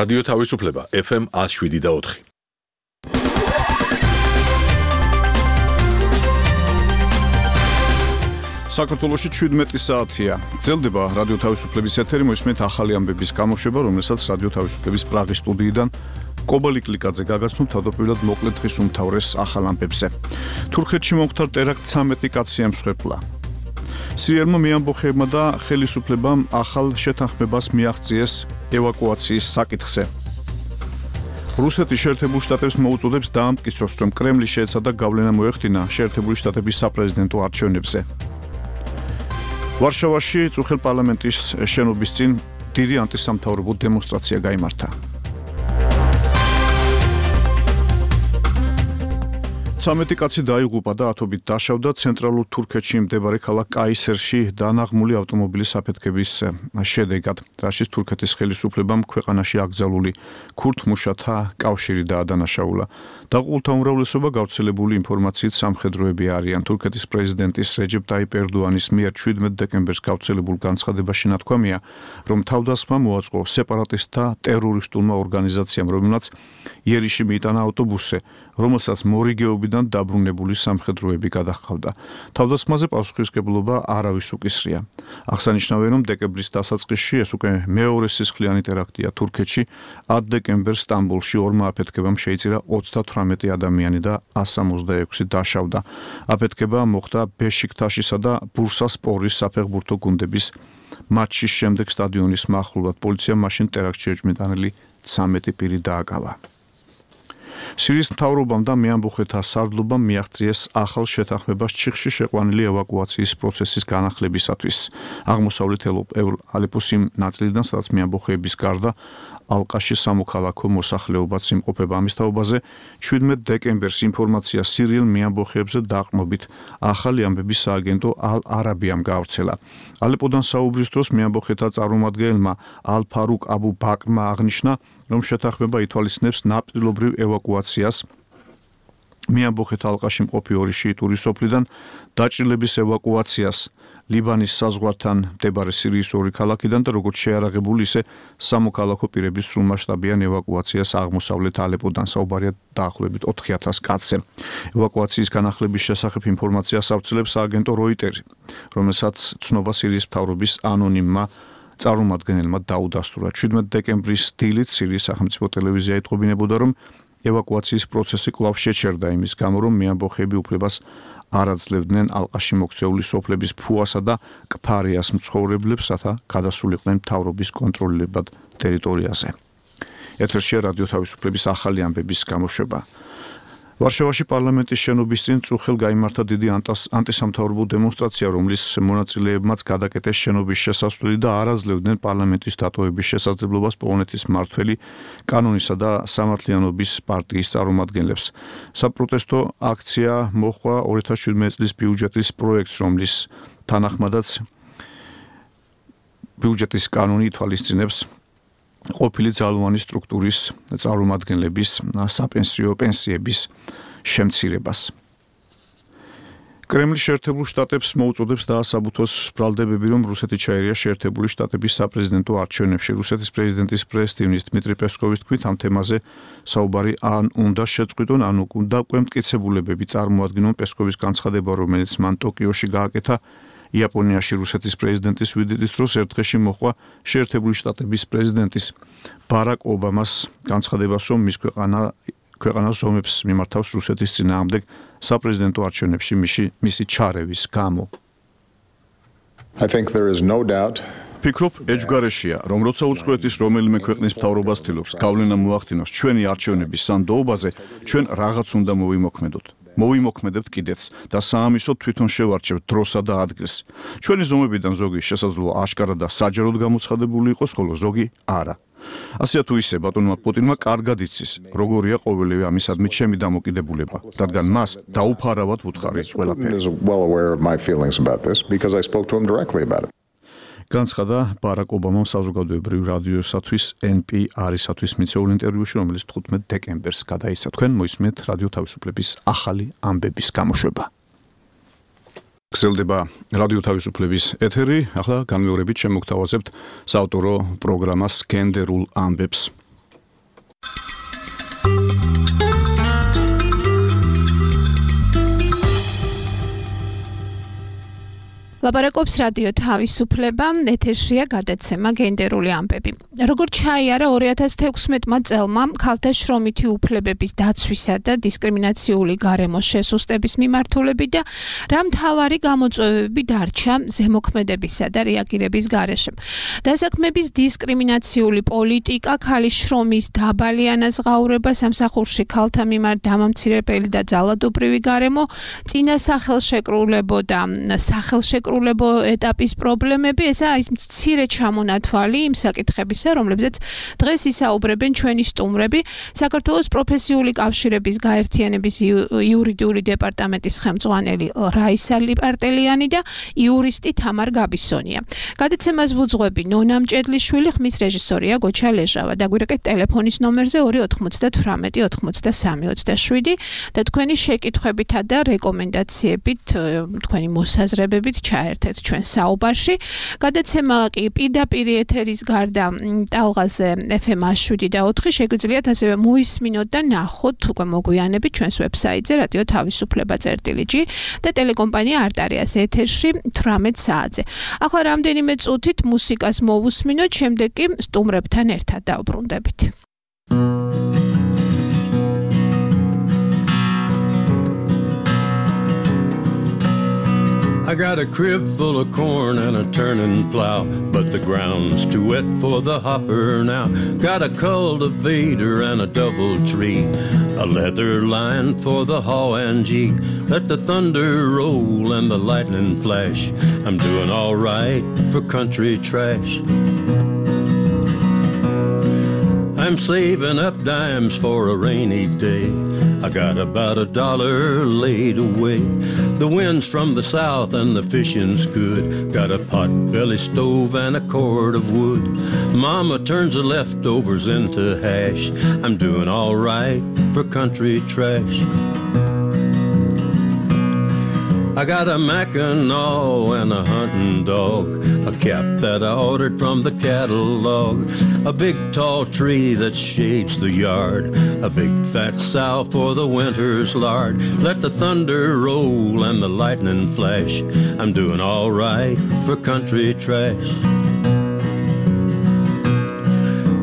რადიო თავისუფლება FM 107.4. საქართველოში 17 საათია. Ძელდება რადიო თავისუფლების ეთერი, მოისმენთ ახალი ამბების გამოშვება, რომელსაც რადიო თავისუფლების პრაღის სტუდიიდან კობალი კლიკაძე გაგაცნობ თავდაპირველად მოკლედ დღის უმთავრეს ახალ ამბებზე. თურქეთში მომხდარ ტერაქტ 13 კაცი ემსხვერპლა. სირიელმა მეამბოხეებმა და ხელისუფლებამ ახალ შეთანხმებას მიაღწიეს ევაკუაციის საკითხზე. რუსეთი შეერთებულ შტატებს მოუწოდებს დაამტკიცოს, რომ კრემლი შეეცადა გავლენა მოეხდინა შეერთებული შტატების საპრეზიდენტო არჩევნებზე. ვარშავაში წუხელ პარლამენტის შენობის წინ დიდი ანტისამთავრობო დემონსტრაცია გაიმართა. 13 კაცი დაიღუპა და ათობით დაშავდა ცენტრალურ თურქეთში მდებარე ქალაქ კაისერში დანაღმული ავტომობილის აფეთქების შედეგად, რაშიც თურქეთის ხელისუფლებამ ქვეყანაში აკრძალული ქურთ-მუშათა კავშირი დაადანაშაულა. დაღუპულთა უმრავლესობა გავრცელებული ინფორმაციით სამხედროები არიან. თურქეთის პრეზიდენტის რეჯეპ ტაიპ ერდოანის მიერ 17 დეკემბერს გავრცელებულ განცხადებაში ნათქვამია, რომ თავდასხმა მოაწყო სეპარატისტთა ტერორისტულმა ორგანიზაციამ, რომელმაც იერიში მიიტანა ავტობუსზე, რომელსაც მორიგეობიდან დაბრუნებული სამხედროები გადაჰყავდა. თავდასხმაზე პასუხისმგებლობა არავის უკისრია. აღსანიშნავია, რომ დეკემბრის დასაწყისში ეს უკვე მეორე სისხლიანი ტერაქტია თურქეთში. 10 დეკემბერს სტამბოლში ორმა აფეთქებამ შეიწირა 38 ადამიანი და 166 დაშავდა. აფეთქება მოხდა ბეშიქტაშისა და ბურსასპორის საფეხბურთო გუნდების მატჩის შემდეგ სტადიონის მახლობლად. პოლიციამ მაშინ ტერაქტში ეჭვმიტანილი 13 პირი დააკავა. სირიის მთავრობამ და მეამბოხეთა სარდლობამ მიაღწიეს ახალ შეთანხმებას ჩიხში შეყვანილი ევაკუაციის პროცესის განახლებისათვის. აღმოსავლეთ ალეპოს იმ ნაწილიდან, სადაც მეამბოხეების გარდა ალყაში სამოქალაქო მოსახლეობაც იმყოფება. ამის თაობაზე 17 დეკემბერს ინფორმაცია სირიელ მეამბოხეებზე დაყრდნობით ახალი ამბების სააგენტო ალ-არაბიამ გაავრცელა. ალეპოდან საუბრის დროს მეამბოხეთა წარმომადგენელმა ალ-ფარუკ აბუ ბაკრმა აღნიშნა, რომ შეთანხმება ითვალისწინებს ნაპირობრივ ევაკუაციას მეამბოხეთა ალყაში მყოფი ორი შიიტური სოფლიდან, დაჭრილების ევაკუაციას ლიბანის საზღვართან მდებარე სირიის ორი ქალაქიდან და როგორც შეარაღებული, ისე სამოქალაქო პირების სრულმასშტაბიან ევაკუაციას აღმოსავლეთ ალეპოდან. საუბარია დაახლოებით 4000 კაცზე. ევაკუაციის განახლების შესახებ ინფორმაციას ავრცელებს სააგენტო როიტერი, რომელსაც ცნობა სირიის მთავრობის ანონიმმა წარმომადგენელმა დაუდასტურა. 17 დეკემბრის დილით სირიის სახელმწიფო ტელევიზია ეთყობინებოდა, რომ ევაკუაციის პროცესი კვლავ შეჩერდა იმის გამო, რომ მეამბოხეები უფლებას არ აძლევდნენ ალყაში მოქცეული სოფლების ფუასა და კფარიას მცხოვრებლებს, რათა გადასულიყვნენ მთავრობის კონტროლებად ტერიტორიაზე. ეთერშია რადიო თავისუფლების ახალი ამბების გამოშვება. ვარშავაში პარლამენტის შენობის წინ წუხელ გაიმართა დიდი ანტისამთავრობო დემონსტრაცია, რომლის მონაწილეებმაც გადაკეტეს შენობის შესასვლელი და არ აძლევდნენ პარლამენტის დატოვების შესაძლებლობას პოლონეთის მმართველი კანონისა და სამართლიანობის პარტიის წარმომადგენლებს. საპროტესტო აქცია მოჰყვა 2017 წლის ბიუჯეტის პროექტს, რომლის თანახმადაც ბიუჯეტის კანონი ითვალისწინებს ყოფილი ძალოვანი სტრუქტურის წარმომადგენლების საპენსიო პენსიების შემცირებას. კრემლი შეერთებულ შტატებს მოუწოდებს დაასაბუთოს ბრალდებები, რომ რუსეთი ჩაერია შეერთებული შტატების საპრეზიდენტო არჩევნებში. რუსეთის პრეზიდენტის პრეს-ტივნის დმიტრი პესკოვის თქმით, ამ თემაზე საუბარი ან უნდა შეწყვიტონ, ან უნდა უკვე მტკიცებულებები წარმოადგინონ. პესკოვის განცხადება, რომელიც მან ტოკიოში გააკეთა იაპონიაში რუსეთის პრეზიდენტის ვიზიტის დროს ერთ დღეში მოჰყვა შეერთებული შტატების პრეზიდენტის ბარაკ ობამას განცხადებას, რომ მის ქვეყანას ომებს მიმართავს რუსეთის წინააღმდეგ საპრეზიდენტო არჩევნებში მისი ჩარევის გამო. ფიქრობ, ეჯგარეშია, რომ როცა უცხოეთის რომელიმე ქვეყნის მთავრობას ცდილობს გავლენა მოახდინოს ჩვენი არჩევნების სანდოობაზე, ჩვენ რაღაც უნდა მოვიმოქმედებთ კიდეც და საამისოდ თვითონ შევარჩევთ დროსა და ადგილს. ჩვენი ზომებიდან ზოგი შესაძლოა აშკარად და საჯაროდ გამოცხადებული იყოს, ხოლო ზოგი არა. ასეა თუ ისე ბატონმა პუტინმა კარგად იცის, როგორია ყოველივე ამისადმი ჩემი დამოკიდებულება, რადგან მას დაუფარავად ვუთხარი ყველაფერი. განცხადა ბარაკ ობამამ საზოგადოებრივ რადიოსათვის NPR-ისათვის მიცეულ ინტერვიუში, რომელიც 15 დეკემბერს გადაიცა. თქვენ მოისმენთ რადიო თავისუფლების ახალი ამბების გამოშვება. გრძელდება რადიო თავისუფლების ეთერი. ახლა განმეორებით შემოგთავაზებთ საავტორო პროგრამას გენდერულ ამბებს. ლაპარაკობს რადიო თავისუფლება, ეთერშია გადაცემა გენდერული ამბები. როგორც ჩაიარა 2016 წელმა ქალთა შრომითი უფლებების დაცვისა და დისკრიმინაციული გარემოს შესუსტების მიმართულებით და რა მთავარი გამოწვევები დარჩა ზემოქმედებისა და რეაგირების გარეშე. დასაქმების დისკრიმინაციული პოლიტიკა, ქალის შრომის დაბალი ანაზღაურება, სამსახურში ქალთა მიმართ დამამცირებელი და ძალადობრივი გარემო, წინა სახელშეკრულებო და სახელშეკრულებო ეტაპის პრობლემები, ესაა ის მცირე ჩამონათვალი იმ საკითხებისა, რომლებზეც დღეს ისაუბრებენ ჩვენი სტუმრები, საქართველოს პროფესიული კავშირების გაერთიანების იურიდიული დეპარტამენტის ხელმძღვანელი რაისა ლიპარტელიანი და იურისტი თამარ გაბისონია. გადაცემას ვუძღვები ნონა მჭედლიშვილი, ხმის რეჟისორია გოჩა ლეჟავა. დაგვირეკეთ ტელეფონის ნომერზე 298 83 27 და თქვენი შეკითხვებითა და რეკომენდაციებით, თქვენი მოსაზრებებით ჩაერთეთ ჩვენ საუბარში. გადაცემა კი პირდაპირ ეთერის გარდა ტალღაზე FM 7/4 შეგვიძლიათ ასევე მოისმინოთ და ნახოთ უკვე მოგვიანებით ჩვენს ვებსაიტზე რადიო თავისუფლება.g და ტელეკომპანია არტარიას ეთერში 18 საათზე. ახლა რამდენიმე წუთით მუსიკას მოვუსმინოთ, შემდეგ კი სტუმრებთან ერთად დავბრუნდებით. I got a crib full of corn and a turning plow, but the ground's too wet for the hopper now. Got a cultivator and a double tree, a leather line for the haw and gee. Let the thunder roll and the lightning flash. I'm doing all right for country trash. I'm saving up dimes for a rainy day. I got about $1 laid away. The wind's from the south and the fishing's good. Got a pot-belly stove and a cord of wood. Mama turns the leftovers into hash. I'm doing all right for country trash. I got a Mackinaw and a hunting dog, a cap that I ordered from the catalog, a big tall tree that shades the yard, a big fat sow for the winter's lard. Let the thunder roll and the lightning flash. I'm doing all right for country trash.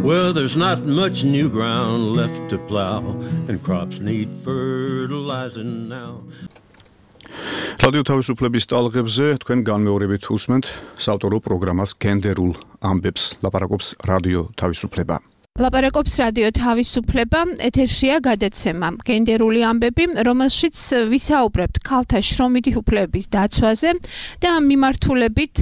Well, there's not much new ground left to plow, and crops need fertilizing now. რადიო თავისუფლების ტალღებზე თქვენ განმეორებით უსმენთ საავტორო პროგრამას გენდერულ ამბებს. ლაპარაკობს რადიო თავისუფლება. ლაპარაკობს რადიო თავისუფლება, ეთერშია გადაცემა გენდერული ამბები, რომელშიც ვისაუბრებთ ქალთა შრომითი უფლებების დაცვაზე და ამ მიმართულებით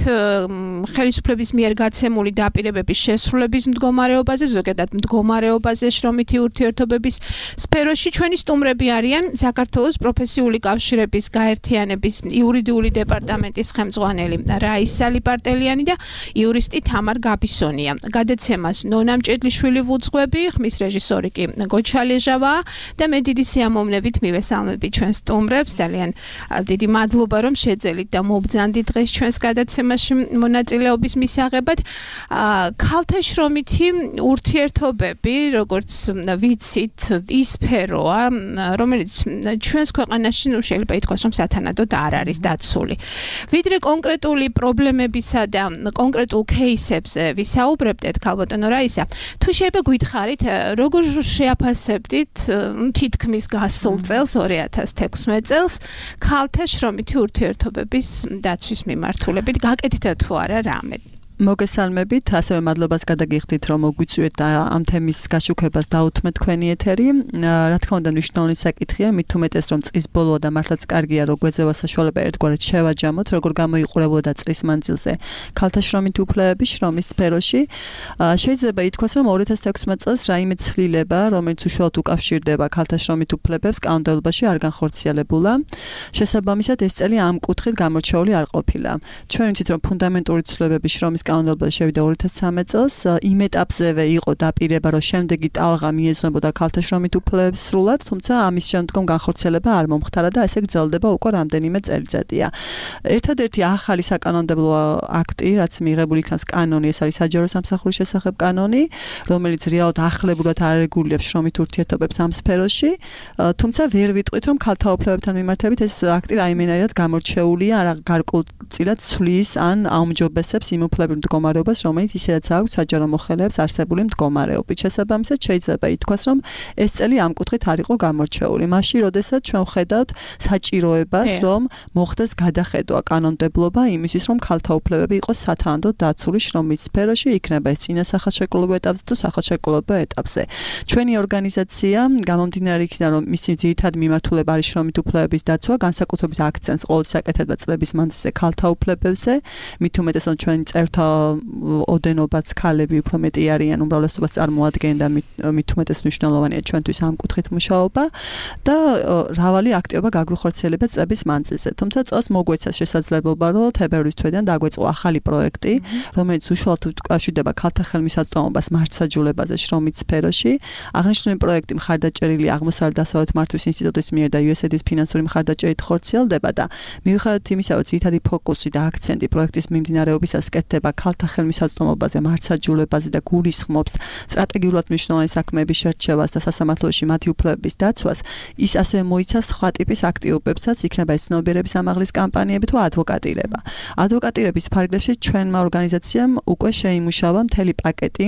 ხელისუფლების მიერ გაცემული დაპირებების შესრულების მდგომარეობაზე, ზოგადად მდგომარეობაზე შრომითი ურთიერთობების სფეროში. ჩვენი სტუმრები არიან საქართველოს პროფესიული კავშირების გაერთიანების იურიდიული დეპარტამენტის ხელმძღვანელი რაისა ლიპარტელიანი და იურისტი თამარ გაბისონია. გადაცემას ნონა მჭედლიშვილი ვუძღვები, ხმის რეჟისორი კი გოჩა ლეჟავა და მე დიდი სიამოვნებით მივესალმები ჩვენ სტუმრებს. ძალიან დიდი მადლობა რომ შეძელით და მობრძანდით დღეს ჩვენს გადაცემაში მონაწილეობის მისაღებად. ქალთა შრომითი ურთიერთობები, როგორც ვიცით, ის სფეროა, რომელიც ჩვენს ქვეყანაში შეიძლება ითქვას, რომ სათანადოდ არ არის დაცული. ვიდრე კონკრეტული პრობლემებისა და კონკრეტულ кейსებზე ვისაუბრებდეთ, ქალბატონო რაისა, თუ შეიძლება გითხარით, როგორ შეაფასებდით თითქმის გასულ წელს 2016 წელს ქალთა შრომითი ურთიერთობების დაცვის მიმართულებით, გაკეთდა თუ არა რამე? მოგესალმებით, ასევე მადლობას გადაგიხდით, რომ მოგვიწვიეთ და ამ თემის გაშუქებას დაუთმეთ თქვენი ეთერი. რა თქმა უნდა, მნიშვნელოვანი საკითხია, მით უმეტეს, რომ წლის ბოლოა და მართლაც კარგია, რომ გვეძევა საშუალება ერთგვარად შევაჯამოთ, როგორ გამოიყურებოდა წლის მანძილზე ქალთა შრომითი უფლებები შრომის სფეროში. შეიძლება ითქვას, რომ 2016 წელს რაიმე ცვლილება, რომელიც უშუალოდ უკავშირდება ქალთა შრომით უფლებებს, კანონმდებლობაში არ განხორციელებულა. შესაბამისად, ეს წელი ამ კუთხით გამორჩეული არ ყოფილა. ჩვენ ვიცით, რომ ფუნდამენტური ცვლილებები შრომის კანონმდებლობაში შევიდა 2013 წელს. იმ ეტაპზევე იყო დაპირება, რომ შემდეგი ტალღა მიეძნებოდა ქალთა შრომით უფლებებს სრულად, თუმცა ამის შემდგომ განხორციელება არ მომხდარა და ესე გრძელდება უკვე რამდენიმე წელიწადია. ერთადერთი ახალი საკანონმდებლო აქტი, რაც მიღებული იქნას კანონი, ეს არის საჯარო სამსახურის შესახებ კანონი, რომელიც რეალურად ახლებურად არეგულირებს შრომით ურთიერთობებს ამ სფეროში, თუმცა ვერ ვიტყვით, რომ ქალთა უფლებებთან მიმართებით ეს აქტი რაიმენაირად გამორჩეულია, არა გარკვეულწილად ცვლის ან აუმჯობესებს იმ უფლებრივ მდგომარეობას, რომელიც ისედაც აქვს საჯარო მოხელეებს არსებული მდგომარეობით. შესაბამისად, შეიძლება ითქვას, რომ ეს წელი ამ კუთხით არ იყო გამორჩეული. მაშინ, როდესაც ჩვენ ვხედავთ საჭიროებას, რომ მოხდეს გადახედვა კანონმდებლობა იმისთვის, რომ ქალთა უფლებები იყოს სათანადოდ დაცული შრომის სფეროში, იქნება ეს წინა სახელშეკრულებულ ეტაპზე თუ სახელშეკრულებულ ეტაპზე. ჩვენი ორგანიზაცია, გამომდინარე იქიდან, რომ მისი ძირითადი მიმართულება არის შრომით უფლებების დაცვა, განსაკუთრებით აქცენტს ყოველთვის აკეთებდა წლების მანძილზე ქალთა უფლებებზე, მით უმეტესად ჩვენი წევრთა ოდენობაც ქალები უფრო მეტი არიან, უმრავლესობას წარმოადგენენ და მით უმეტეს მნიშვნელოვანია ჩვენთვის ამ კუთხით მუშაობა და მრავალი აქტივობა გაგვიხორციელება წლების მანძილზე. თუმცა წელს მოგვეცა შესაძლებლობა, რომ თებერვლის თვედან დაგვეწყო ახალი პროექტი, რომელიც უშუალოდ უკავშირდება ქალთა ხელმისაწვდომობას მართლმსაჯულებაზე შრომით სფეროში. აღნიშნული პროექტი მხარდაჭერილი აღმოსავლეთ დასავლეთ მართვის ინსტიტუტის მიერ და USAID-ის ფინანსური მხარდაჭერით ხორციელდება და მიუხედავად იმისა, რომ ძირითადი ფოკუსი და აქცენტი პროექტის მიმდინარეობისას კეთდება ქალთა ხელმისაწვდომობაზე, მართლმსაჯულებაზე და გულისხმობს სტრატეგიულად მნიშვნელოვანი საქმეების შერჩევას და სასამართლოში მათი უფლებების დაცვას, ის ასევე მოიცა სხვა ტიპის აქტივობებსაც, იქნება ეს ცნობიერების ამაღლის კამპანიები თუ ადვოკატირება. ადვოკატირების ფარგლებში ჩვენმა ორგანიზაციამ უკვე შეიმუშავა მთელი პაკეტი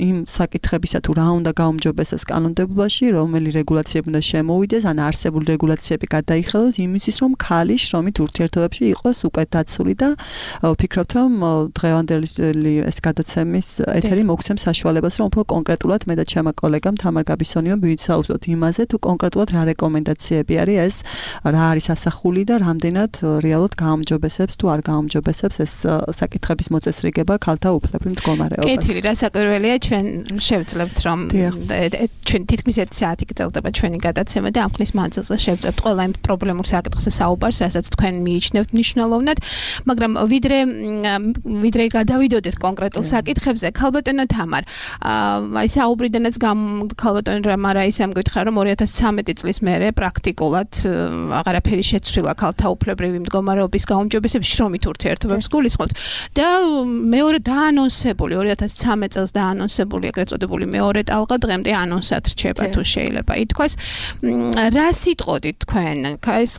იმ საკითხებისა თუ რა უნდა გაუმჯობესდეს კანონმდებლობაში, რომელი რეგულაციები უნდა შემოვიდეს, ან არსებული რეგულაციები გადაიხელოს იმისთვის, რომ ქალი შრომით ურთიერთობებში იყოს უკვე დაცული და ვფიქრობთ, რომ დღევანდელი ეს გადაცემის ეთერი მოგცემს საშუალებას, რომ უფრო კონკრეტულად მე და ჩემმა კოლეგამ თამარ გაბისონიამ ვისაუბროთ იმაზე, თუ კონკრეტულად რა რეკომენდაციები არის ეს, რა არის ასახული და რამდენად რეალურად გაუმჯობესებს თუ არ გაუმჯობესებს ეს საკითხების მოწესრიგება ქალთა უფლებრივ მდგომარეობას. კეთილი, რა საკურველია, ჩვენ შევძლებთ, რომ ჩვენ თითქმის 1 საათი გრძელდება ჩვენი გადაცემა და ამ ხნის მანძილზე შევძლებთ ყველა იმ პრობლემურ საკითხზე საუბარს, რასაც თქვენ მიიჩნევთ მნიშვნელოვნად, მაგრამ ვიდრე გადავიდოდეთ კონკრეტულ საკითხებზე, ქალბატონო თამარ, აი საუბრიდანაც ქალბატონი რამარაისამ გითხრა, რომ 2013 წლის მერე პრაქტიკულად აღარაფერი შეცვლილა ქალთა უფლებრივი მდგომარეობის გაუმჯობესების შრომით ურთიერთობებს გულისხმობთ და მეორე დაანონსებული 2013 წელს დაანონსებული ეგრეთ წოდებული მეორე ტალღა დღემდე ანონსად რჩება თუ შეიძლება ითქვას. რა სიტყოდით თქვენ? ეს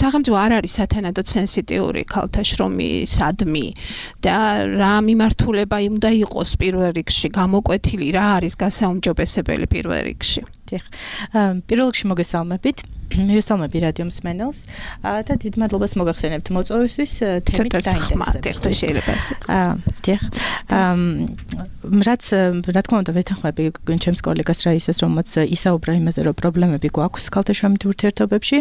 სახელმწიფო არ არის სათანადოდ სენსიტიური ქალთა შრომისადმი და რა მიმართულება უნდა იყოს პირველ რიგში გამოკვეთილი, რა არის გასაუმჯობესებელი პირველ რიგში? პირველ რიგში მოგესალმებით. მივესალმები რადიო მსმენელს და დიდ მადლობას მოგახსენებთ მოწვევისთვის თემით დაინტერესებისთვის. შეიძლება ასე. რაც რა თქმა უნდა ვეთანხმები ჩემს კოლეგას რაისას, რომელიც ისაუბრა იმაზე, რომ პრობლემები გვაქვს ქალთა შრომით ურთიერთობებში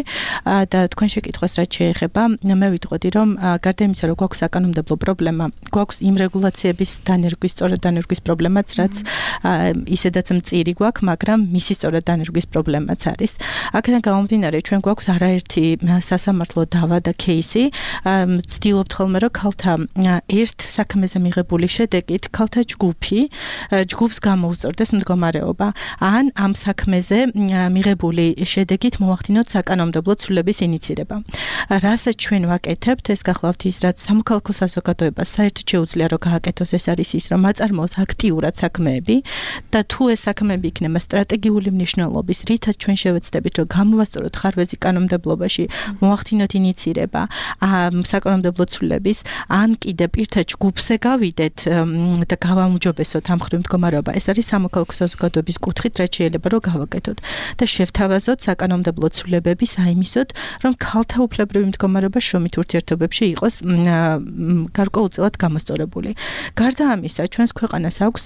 და თქვენ შეკითხვას რაც შეეხება, მე ვიტყოდი, რომ გარდა იმისა, რომ გვაქვს საკანონმდებლო პრობლემა, გვაქვს იმ რეგულაციების დანერგვის, სწორად დანერგვის პრობლემაც, რაც ისედაც მწირი გვაქვს, მაგრამ მისი სწორად დანერგვის პრობლემაც არის. აქედან გამომდინარე, ჩვენ გვაქვს არაერთი სასამართლო დავა და кейსი, ვცდილობთ ხოლმე, რომ ქალთა ერთ საქმეზე მიღებული შედეგით ქალთა ჯგუფს გამოუწორდეს მდგომარეობა, ან ამ საქმეზე მიღებული შედეგით მოახდინოთ საკანონმდებლო ცვლილების ინიცირება. რასაც ჩვენ ვაკეთებთ, ეს გახლავთ ის, რაც სამოქალაქო საზოგადოებას საერთოდ შეუძლია რომ გააკეთოს, ეს არის ის, რომ აწარმოოს აქტიურად საქმეები და თუ ეს საქმეები იქნება სტრატეგიული მნიშვნელობის, რითაც ჩვენ შევეცდებით, რომ გამოვასწოროთ ხარვეზი კანონმდებლობაში, მოახდინოთ ინიცირება საკანონმდებლო ცვლილების, ან კიდე პირთა ჯგუფზე გავიდეთ და გავაუმჯობესოთ ამ ხრივ მდგომარეობა. ეს არის სამოქალაქო საზოგადოების კუთხით, რაც შეიძლება რომ გავაკეთოთ და შევთავაზოთ საკანონმდებლო ცვლილებები საიმისოდ, რომ ქალთა უფლებრივი მდგომარეობა შრომით ურთიერთობებში იყოს გარკვეულწილად გამოსწორებული. გარდა ამისა, ჩვენს ქვეყანას აქვს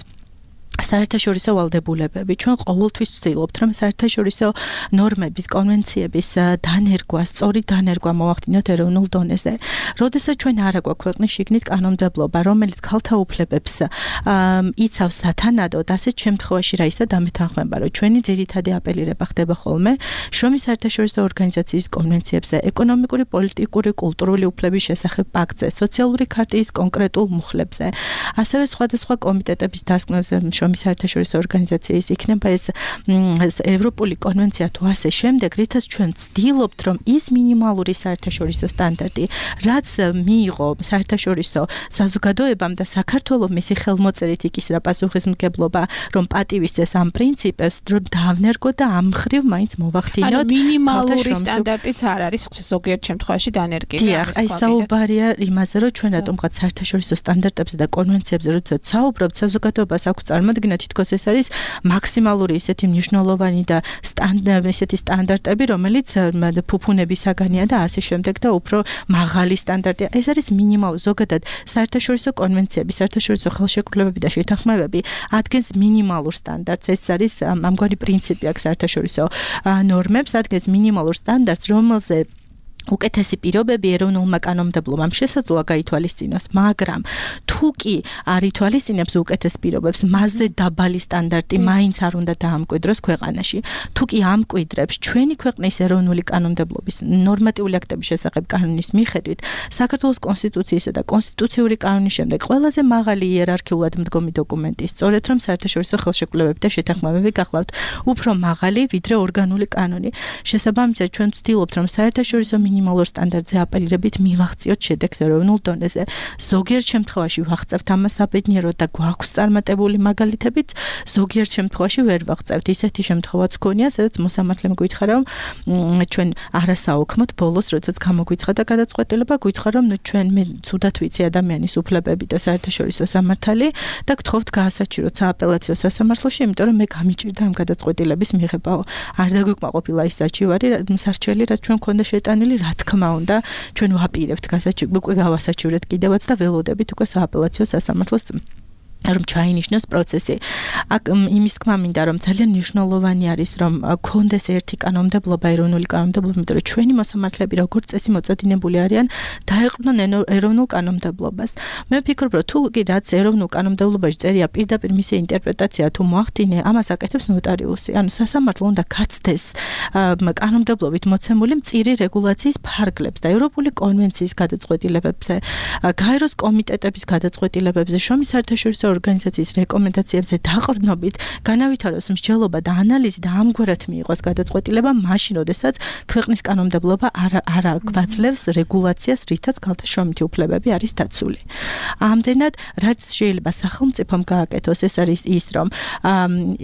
საერთაშორისო ვალდებულებები ჩვენ ყოველთვის ვცდილობთ რომ საერთაშორისო ნორმების კონვენციების დანერგვა, სწორი დანერგვა მოვახდინოთ ეროვნულ დონეზე. როდესაც ჩვენ არ აქვს ქვეყნის შიგნით კანონმდებლობა, რომელიც ქალთა უფლებებს იცავს სათანადოდ, ასეთ შემთხვევაში რა ისა დამეთანხმება, რომ ჩვენი ძირითადი აპელირება ხდება ხოლმე შრომის საერთაშორისო ორგანიზაციის კონვენციებზე, ეკონომიკური, პოლიტიკური, კულტურული უფლების შესახებ პაქტზე, სოციალური ქარტიის კონკრეტულ მუხლებზე, ასევე სხვადასხვა კომიტეტების დასკვნებზე შრომის საერთაშორისო ორგანიზაციის იქნება ეს ევროპული კონვენცია თუ ასე შემდეგ, რითაც ჩვენ ვცდილობთ, რომ ის მინიმალური საერთაშორისო სტანდარტი, რაც მიიღო საერთაშორისო საზოგადოებამ და საქართველოს მისი ხელმოწერით იქისრა პასუხისმგებლობა, რომ პატივისცეს ამ პრინციპებს, რომ დავნერგო და ამ მხრივ მაინც მოვახდინოთ. მინიმალური სტანდარტიც არ არის ზოგიერთ შემთხვევაში დანერგილი. დიახ, აი საუბარია იმაზე, რომ ჩვენ რატომღაც საერთაშორისო სტანდარტებზე და კონვენციებზე როდესაც საუბრობთ, საზოგადოებას აქვს წარმოადგინა თითქოს ეს არის მაქსიმალური ისეთი მნიშვნელოვანი და ისეთი სტანდარტები, რომელიც ფუფუნებისაგანია და ასე შემდეგ და უფრო მაღალი სტანდარტია. ეს არის მინიმალური ზოგადად საერთაშორისო კონვენციები, საერთაშორისო ხელშეკრულებები და შეთანხმებები ადგენს მინიმალურ სტანდარტს. ეს არის ამგვარი პრინციპი აქვს საერთაშორისო ნორმებს, ადგენს მინიმალურ სტანდარტს, რომელზე უკეთესი პირობები ეროვნულმა კანონმდებლობამ შესაძლოა გაითვალისწინოს, მაგრამ თუ კი არ ითვალისწინებს უკეთეს პირობებს, მასზე დაბალი სტანდარტი მაინც არ უნდა დაამკვიდროს ქვეყანაში. თუ კი ამკვიდრებს ჩვენი ქვეყნის ეროვნული კანონმდებლობის ნორმატიული აქტების შესახებ კანონის მიხედვით, საქართველოს კონსტიტუციისა და კონსტიტუციური კანონის შემდეგ ყველაზე მაღალი იერარქიულად მდგომი დოკუმენტი, სწორედ რომ საერთაშორისო ხელშეკრულებები და შეთანხმებები გახლავთ უფრო მაღალი, ვიდრე ორგანული კანონი. შესაბამისად, ჩვენ ვცდილობთ, რომ საერთაშორისო მინიმალურ სტანდარტზე აპელირებით მივაღწიოთ შედეგს ეროვნულ დონეზე. ზოგიერთ შემთხვევაში ვაღწევთ ამას საბედნიეროდ და გვაქვს წარმატებული მაგალითებიც, ზოგიერთ შემთხვევაში ვერ ვაღწევთ. ისეთი შემთხვევაც გქონია, სადაც მოსამართლემ გითხრა, რომ ჩვენ არასაოქმოდ ბოლოს, როდესაც გამოგვიცხადა გადაწყვეტილება, გითხრა, რომ ჩვენ მე ცუდად ვიცი ადამიანის უფლებები და საერთაშორისო სამართალი და გთხოვთ გაასაჩივროთ სააპელაციო სასამართლოში, იმიტომ რომ მე გამიჭირდა ამ გადაწყვეტილების მიღებაო. არ დაგვიკმაყოფილა ის საჩივარი, სარჩელი, რაც ჩვენ გქონდა შეტანილი, რა თქმა უნდა, ჩვენ ვაპირებთ უკვე გავასაჩივრეთ კიდევაც და ველოდებით უკვე სააპელაციო სასამართლოს რომ ჩაინიშნოს პროცესი. აქ იმის თქმა მინდა, რომ ძალიან მნიშვნელოვანი არის, რომ გქონდეს ერთი კანონმდებლობა, ეროვნული კანონმდებლობა, იმიტომ რომ ჩვენი მოსამართლეები როგორც წესი მოწადინებული არიან დაეყრდნონ ეროვნულ კანონმდებლობას. მე ვფიქრობ, რომ თუ კი რაც ეროვნულ კანონმდებლობაში წერია პირდაპირ მისი ინტერპრეტაცია თუ მოახდინე, ამას აკეთებს ნოტარიუსი. ანუ სასამართლო უნდა გაცდეს კანონმდებლობით მოცემული მწირი რეგულაციის ფარგლებს და ევროპული კონვენციის გადაწყვეტილებებზე, გაეროს კომიტეტების გადაწყვეტილებებზე, შრომის საერთაშორისო ორგანიზაციის რეკომენდაციებზე დაყრდნობით განავითაროს მსჯელობა და ანალიზი და ამგვარად მიიღოს გადაწყვეტილება მაშინ, როდესაც ქვეყნის კანონმდებლობა არ გვაძლევს რეგულაციას, რითაც ქალთა შრომითი უფლებები არის დაცული. ამდენად, რაც შეიძლება სახელმწიფომ გააკეთოს, ეს არის ის, რომ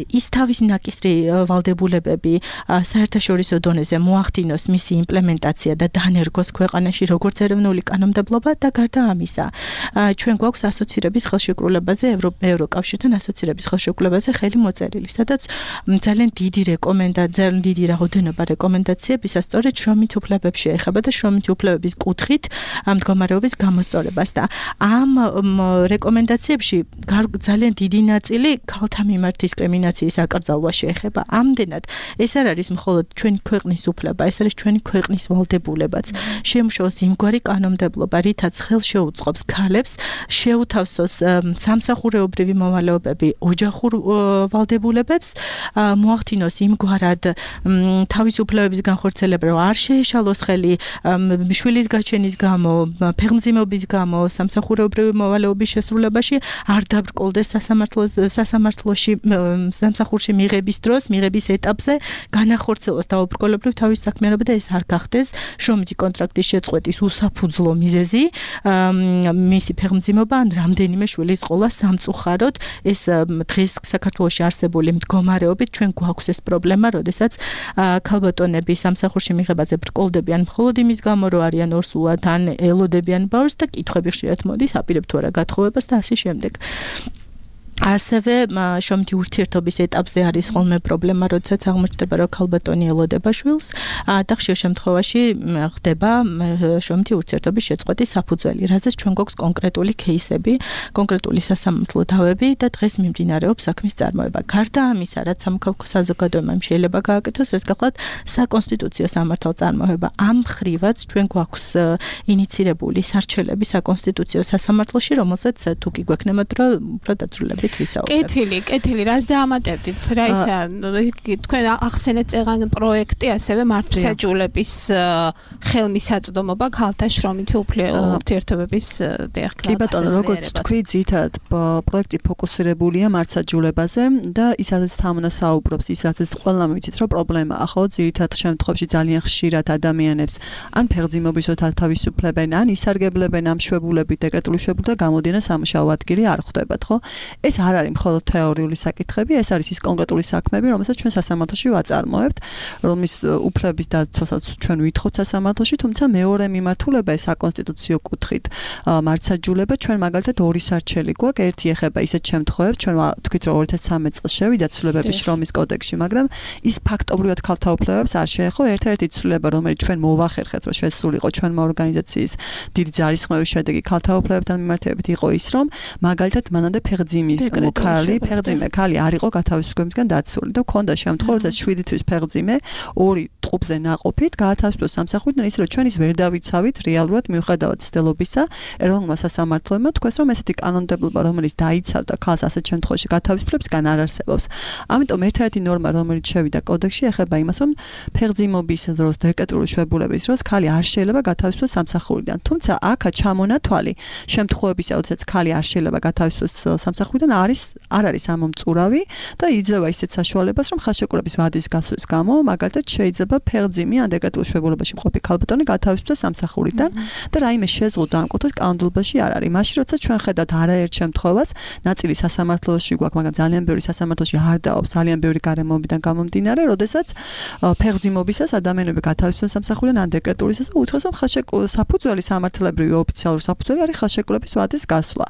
ის თავის ნაკისრი ვალდებულებები საერთაშორისო დონეზე მოახდინოს მისი იმპლემენტაცია და დანერგოს ქვეყანაში როგორც ეროვნული კანონმდებლობა და გარდა ამისა, ჩვენ გვაქვს ასოცირების ხელშეკრულებაზე ევროკავშირთან ასოცირების ხელშეკრულებაზე ხელი მოწერილი, სადაც ძალიან დიდი რაოდენობა რეკომენდაციებისა სწორედ შრომით უფლებებს შეეხება და შრომითი უფლებების კუთხით მდგომარეობის გამოსწორებას და ამ რეკომენდაციებში ძალიან დიდი ნაწილი ქალთა მიმართ დისკრიმინაციის აკრძალვას შეეხება. ამდენად, ეს არ არის მხოლოდ ჩვენი ქვეყნის უფლება, ეს არის ჩვენი ქვეყნის ვალდებულებაც. შემუშავოს იმგვარი კანონმდებლობა, რითაც ხელშეუწყობს ქალებს შეუთავსოს სამსახურეობრივი მოვალეობები ოჯახურ ვალდებულებებს, მოახდინოს იმგვარად თავის უფლებების განხორციელება, რომ არ შეეშალოს ხელი შვილის გაჩენის გამო, ფეხმძიმობის გამო, სამსახურეობრივი მოვალეობის შესრულებაში, არ დაბრკოლდეს სასამართლოში სამსახურში მიღების დროს, მიღების ეტაპზე, განახორციელოს დაუბრკოლებრივ თავის საქმიანობა და ეს არ გახდეს შრომითი კონტრაქტის შეწყვეტის უსაფუძვლო მიზეზი, მისი ფეხმძიმობა ან რამდენიმე შვილის ყოლა სამწუხაროდ. ეს დღეს საქართველოში არსებული მდგომარეობით ჩვენ გვაქვს ეს პრობლემა, როდესაც ქალბატონები სამსახურში მიღებაზე ბრკოლდებიან მხოლოდ იმის გამო, რომ არიან ორსულად ან ელოდებიან ბავშვს და კითხვები ხშირად მოდის, აპირებთ თუ არა გათხოვებას და ასე შემდეგ. ასევე შრომითი ურთიერთობის ეტაპზე არის ხოლმე პრობლემა, როდესაც აღმოჩნდება, რომ ქალბატონი ელოდება შვილს და ხშირ შემთხვევაში ხდება შრომითი ურთიერთობის შეწყვეტის საფუძველი, რაზეც ჩვენ გვაქვს კონკრეტული кейსები, კონკრეტული სასამართლო დავები და დღეს მიმდინარეობს საქმის წარმოება. გარდა ამისა, რაც სამოქალაქო საზოგადოებამ შეიძლება გააკეთოს, ეს გახლავთ საკონსტიტუციო სამართალწარმოება. ამ ხრივაც ჩვენ გვაქვს ინიცირებული სარჩელები საკონსტიტუციო სასამართლოში, რომელსაც თუ კი გვექნებათ, რომ უფრო დაწვრილებით კეთილი, რას დაამატებდით? რა ისა, თქვენ ახსენეთ წეღან პროექტი, ასევე მართლმსაჯულების ხელმისაწვდომობა ქალთა შრომითი ურთიერთობების დიახ. კი ბატონო, როგორც თქვი, ძირითადად პროექტი ფოკუსირებულია მართლმსაჯულებაზე და ისაც თამონასაუბრობს, ისაც ყველამ ვიცით, რომ პრობლემაა, ხო, ძირითადად შემთხვევაში ძალიან ხშირად ადამიანებს ან ფեղძიმობისოთ თავისუფლებენ, ან ისარგებლებენ ამ შვებულებით, დეკრეტული შვებულებით და გამოდიან სამუშაო ადგილი არ ხვდებათ, ხო? ეს არ არის მხოლოდ თეორიული საკითხები, ეს არის ის კონკრეტული საქმეები, რომელსაც ჩვენ სასამართლოში ვაწარმოებთ, რომლის უფლების დაცვასაც ჩვენ ვითხოვთ სასამართლოში, თუმცა მეორე მიმართულება ეს საკონსტიტუციო კუთხით მართლმსაჯულება, ჩვენ მაგალითად ორი სარჩელი გვაქვს, ერთი ეხება ისეთ შემთხვევებს, ჩვენ ვთქვით, რომ 2013 წელს შევიდა ცვლილებები შრომის კოდექსში, მაგრამ ის ფაქტობრივად ქალთა უფლებებს არ შეეხო, ერთ-ერთი ცვლილება, რომელიც ჩვენ მოვახერხეთ, რომ შესულიყო ჩვენმა ორგანიზაციის დიდი ძალისხმევის შედეგი ქალთა უფლებებთან მიმართებით იყო ის, რომ მაგალითად მანამდე ფեղძიმე ქალი არ იყო გათავისუფლებისგან დაცული და ქონდა შემთხვევა, რომ 7 თვის ფեղძიმე 2 ტყუპზე ნაყოფით გაათავისუფლოს სამსახურიდან, ისე რომ ჩვენ ის ვერ დავიცავით რეალურად მიუხედავად ცდილობისა ეროვნულმა სასამართლოებმა თქვეს, რომ ესეთი კანონმდებლობა, რომელიც დაიცავდა ქალს ასეთ შემთხვევაში გათავისუფლებისგან არ არსებობს. ამიტომ ერთ-ერთი ნორმა, რომელიც შევიდა კოდექსში, ეხება იმას, რომ ფեղძიმობის დროს, დეკრეტული შვებულების დროს ქალი არ შეიძლება გათავისუფლოს სამსახურიდან. თუმცა აქა ჩამონათვალი შემთხვევებისა, როდესაც ქალი არ შეიძლება გათავისუფლოს სამსახურიდან არ არის ამომწურავი და იძლევა ისეთ საშუალებას, რომ ხელშეკრულების ვადის გასვლის გამო, მაგალითად შეიძლება ფեղძიმი ან დეკრეტულ შვებულებაში მყოფი ქალბატონი გათავისუფლოს სამსახურიდან და რაიმე შეზღუდვა ამ კუთხით კანონმდებლობაში არ არის. მაშინ როცა ჩვენ ხედავთ არაერთ შემთხვევას, ნაწილი სასამართლოში გვაქვს, მაგრამ ძალიან ბევრი სასამართლოში არ დაობს, ძალიან ბევრი გარემოებიდან გამომდინარე, როდესაც ფեղძიმობისას ადამიანები გათავისუფლოს სამსახურიდან ან დეკრეტულისას და უთხრეს, რომ საფუძველი სამართლებრივი ოფიციალური საფუძველი არის ხელშეკრულების ვადის გასვლა.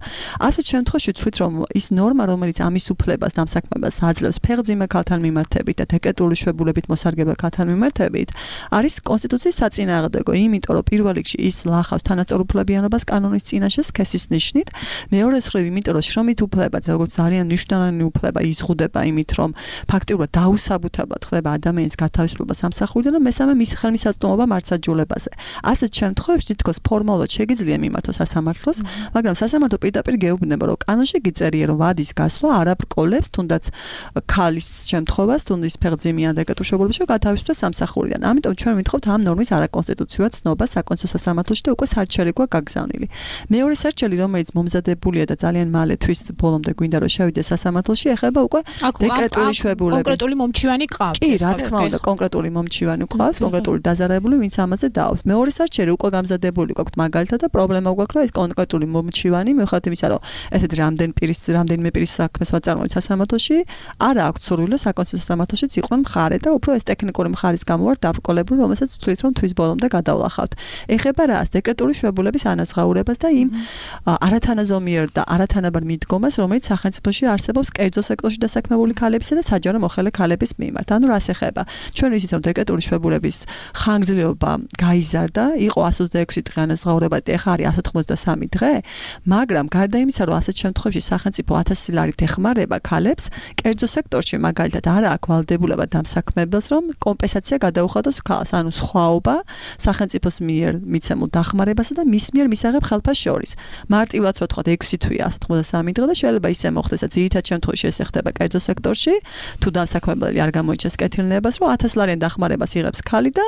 ასეთ შემთხვევაში ვთქვით, რომ ის ნორმა, რომელიც ამის უფლებას დამსაქმებას აძლევს ფեղძიმე ქალთან მიმართებით და დეკრეტული შვებულებით მოსარგებელ ქალთან მიმართებით, არის კონსტიტუციის საწინააღმდეგო, იმიტომ რომ პირველ რიგში ის ლახავს თანაწორუფლებიანობას კანონის წინაშე სქესის ნიშნით, მეორე მხრივ, იმიტომ რომ შრომით უფლება, როგორც ძალიან მნიშვნელოვანი უფლება იზღუდება იმით, რომ ფაქტიურად დაუსაბუთებლად ხდება ადამიანის გათავისუფლება სამსახურიდან და მესამე მის ხელმისაწვდომობა მართლმსაჯულებაზე. ასეთ შემთხვევებში თითქოს ფორმალურად შეგიძლია მიმართოს სასამართლოს, მაგრამ სასამართლო პირდაპირ გეუბნება, რომ კანონში გიწერია, რომ ვადის გასვლა არ აბყოლებს თუნდაც ქალის შემთხვევას, თუნდაც ფեղძიმი ან დეკრეტულ შვებულებაში გათავისუფლოს სამსახურიდან. ამიტომ ჩვენ ვითხოვთ ამ ნორმის არაკონსტიტუციურად ცნობას საკონსტიტუციო სასამართლოში და უკვე სარჩელი გვაქვს გაგზავნილი. მეორე სარჩელი, რომელიც მომზადებულია და ძალიან მალე თვის ბოლომდე გვინდა რომ შევიდეს სასამართლოში, ეხება უკვე დეკრეტული შვებულები. კონკრეტული მომჩივანი ყავს. კი, რა თქმა უნდა, კონკრეტული მომჩივანი ყავს, კონკრეტული დაზარებული, ვინც ამაზე დაავს. მეორე სარჩელი უკვე გამზადებული გვაქვს მაგალითად და პრობლემა გვაქვს, რომ ეს კონკრეტული მომჩივანი, მიუხედავად იმისა, რომ ესეთ რამდენიმე პირის საქმეს ვაწარმოებთ სასამართლოში, არ აქვს სურვილი საკონსტიტუციო სასამართლოშიც იყვნენ მხარე და უფრო ეს ტექნიკური მხარის გამო ვარ დაბრკოლებული, რომელსაც ვთვლით, რომ თვის ბოლომდე გადავლახავთ. ეხება რას? დეკრეტული შვებულების ანაზღაურებას და იმ არათანაზომიერ და არათანაბარ მიდგომას, რომელიც სახელმწიფოში არსებობს კერძო სექტორში დასაქმებული ქალებისა და საჯარო მოხელე ქალების მიმართ. ანუ რას ეხება? ჩვენ ვიცით, რომ დეკრეტული შვებულების ხანგრძლივობა გაიზარდა, იყო 126 დღე ანაზღაურება და ეხლა არის 193 დღე, მაგრამ გარდა იმისა, რომ ასეთ შემთხვევაში სახელმწიფო 1000 ლარით ეხმარება ქალებს, კერძო სექტორში მაგალითად არ აქვს ვალდებულება დამსაქმებელს, რომ კომპენსაცია გადაუხადოს ქალს, ანუ სხვაობა სახელმწიფოს მიერ მიცემულ დახმარებასა და მის მიერ მისაღებ ხელფას შორის. მარტივად რო თქვა 6 თვეა 193 დღე და შეიძლება ისე მოხდეს, რომ ძირითად შემთხვევაში ეს ხდება კერძო სექტორში, თუ დამსაქმებელი არ გამოიჩენს კეთილნებას, რომ 1000 ლარიან დახმარებას იღებს ქალი და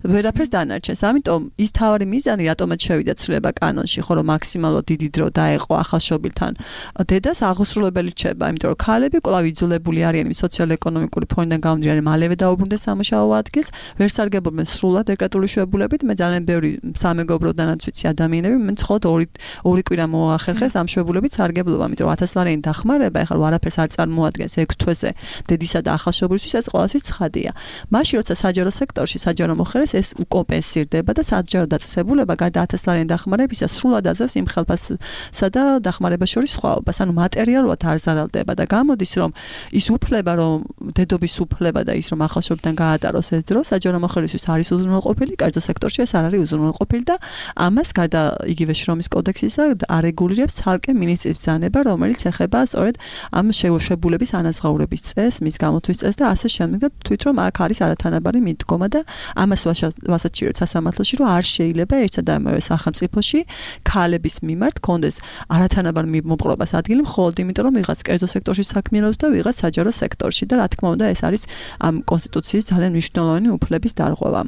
ვერაფერს დანარჩენს. ამიტომ ის თავარი მიზანი, რატომაც შევიდა ცვლილება კანონში, ხო რომ მაქსიმალურად დიდი დრო დაეყო ახალშობილთან დედას აღუსრულებელი რჩება, იმიტომ რომ ქალები კვლავ იძულებული არიან სოციალურ-ეკონომიკური ფონიდან გამომდინარე მალევე დაუბრუნდეს სამუშაო ადგილს ადგილს, ვერ სარგებლობენ სრულად დეკრეტული შვებულებით, მე ძალიან ბევრი სამეგობროდანაც ვიცი ადამიანები, მე მხოლოდ ორი კვირა მოახერხეს ამ შვებულებით სარგებლობა, იმიტომ რომ 1000 ლარიანი დახმარება, ეხლა არაფერს არ წარმოადგენს 6 თვეზე დედისა და ახალშობილისთვის, ეს ყველასთვის ცხადია. მაშინ როცა საჯარო სექტორში საჯარო მოხერეს ეს უკომპენსირდება და საჯარო დაწესებულება გარდა 1000 ლარიანი დახმარებისა სრულად აძლევს იმ ხელფასსა და დახმარებას შორის სხვაობას. ანუ მატერიალურად არ ზარალდება და გამოდის რომ ის უფლება რომ დედობის უფლება და ის რომ ახალშობილთან გაატაროს ეს დრო საჯარო მოხერისთვის არის უზრუნველყოფილი, კერძო სექტორში ეს არ არის უზრუნველყოფილი და ამას გარდა იგივე შრომის კოდექსისა არეგულირებს ცალკე მინისტრის ბრძანება, რომელიც ეხება სწორედ ამ შეშებულების ანაზღაურების წესს, მის გამოთვის წესს და ასე შემდეგ და თვით რომ აქ არის არათანაბარი მიდგომა და ამას ვასაჩივრეთ სასამართლოში რომ არ შეიძლება ერთსა და ამავე სახელმწიფოში ქალების მიმართ კონდეს არათანაბარ მოპყრობას ადგილი მხოლოდ იმიტომ რომ ვიღაც კერძო სექტორში საქმიანობს და ვიღაც საჯარო სექტორში და რა თქმა უნდა ეს არის ამ კონსტიტუციის ძალიან მნიშვნელოვანი უფლების დარღვევა.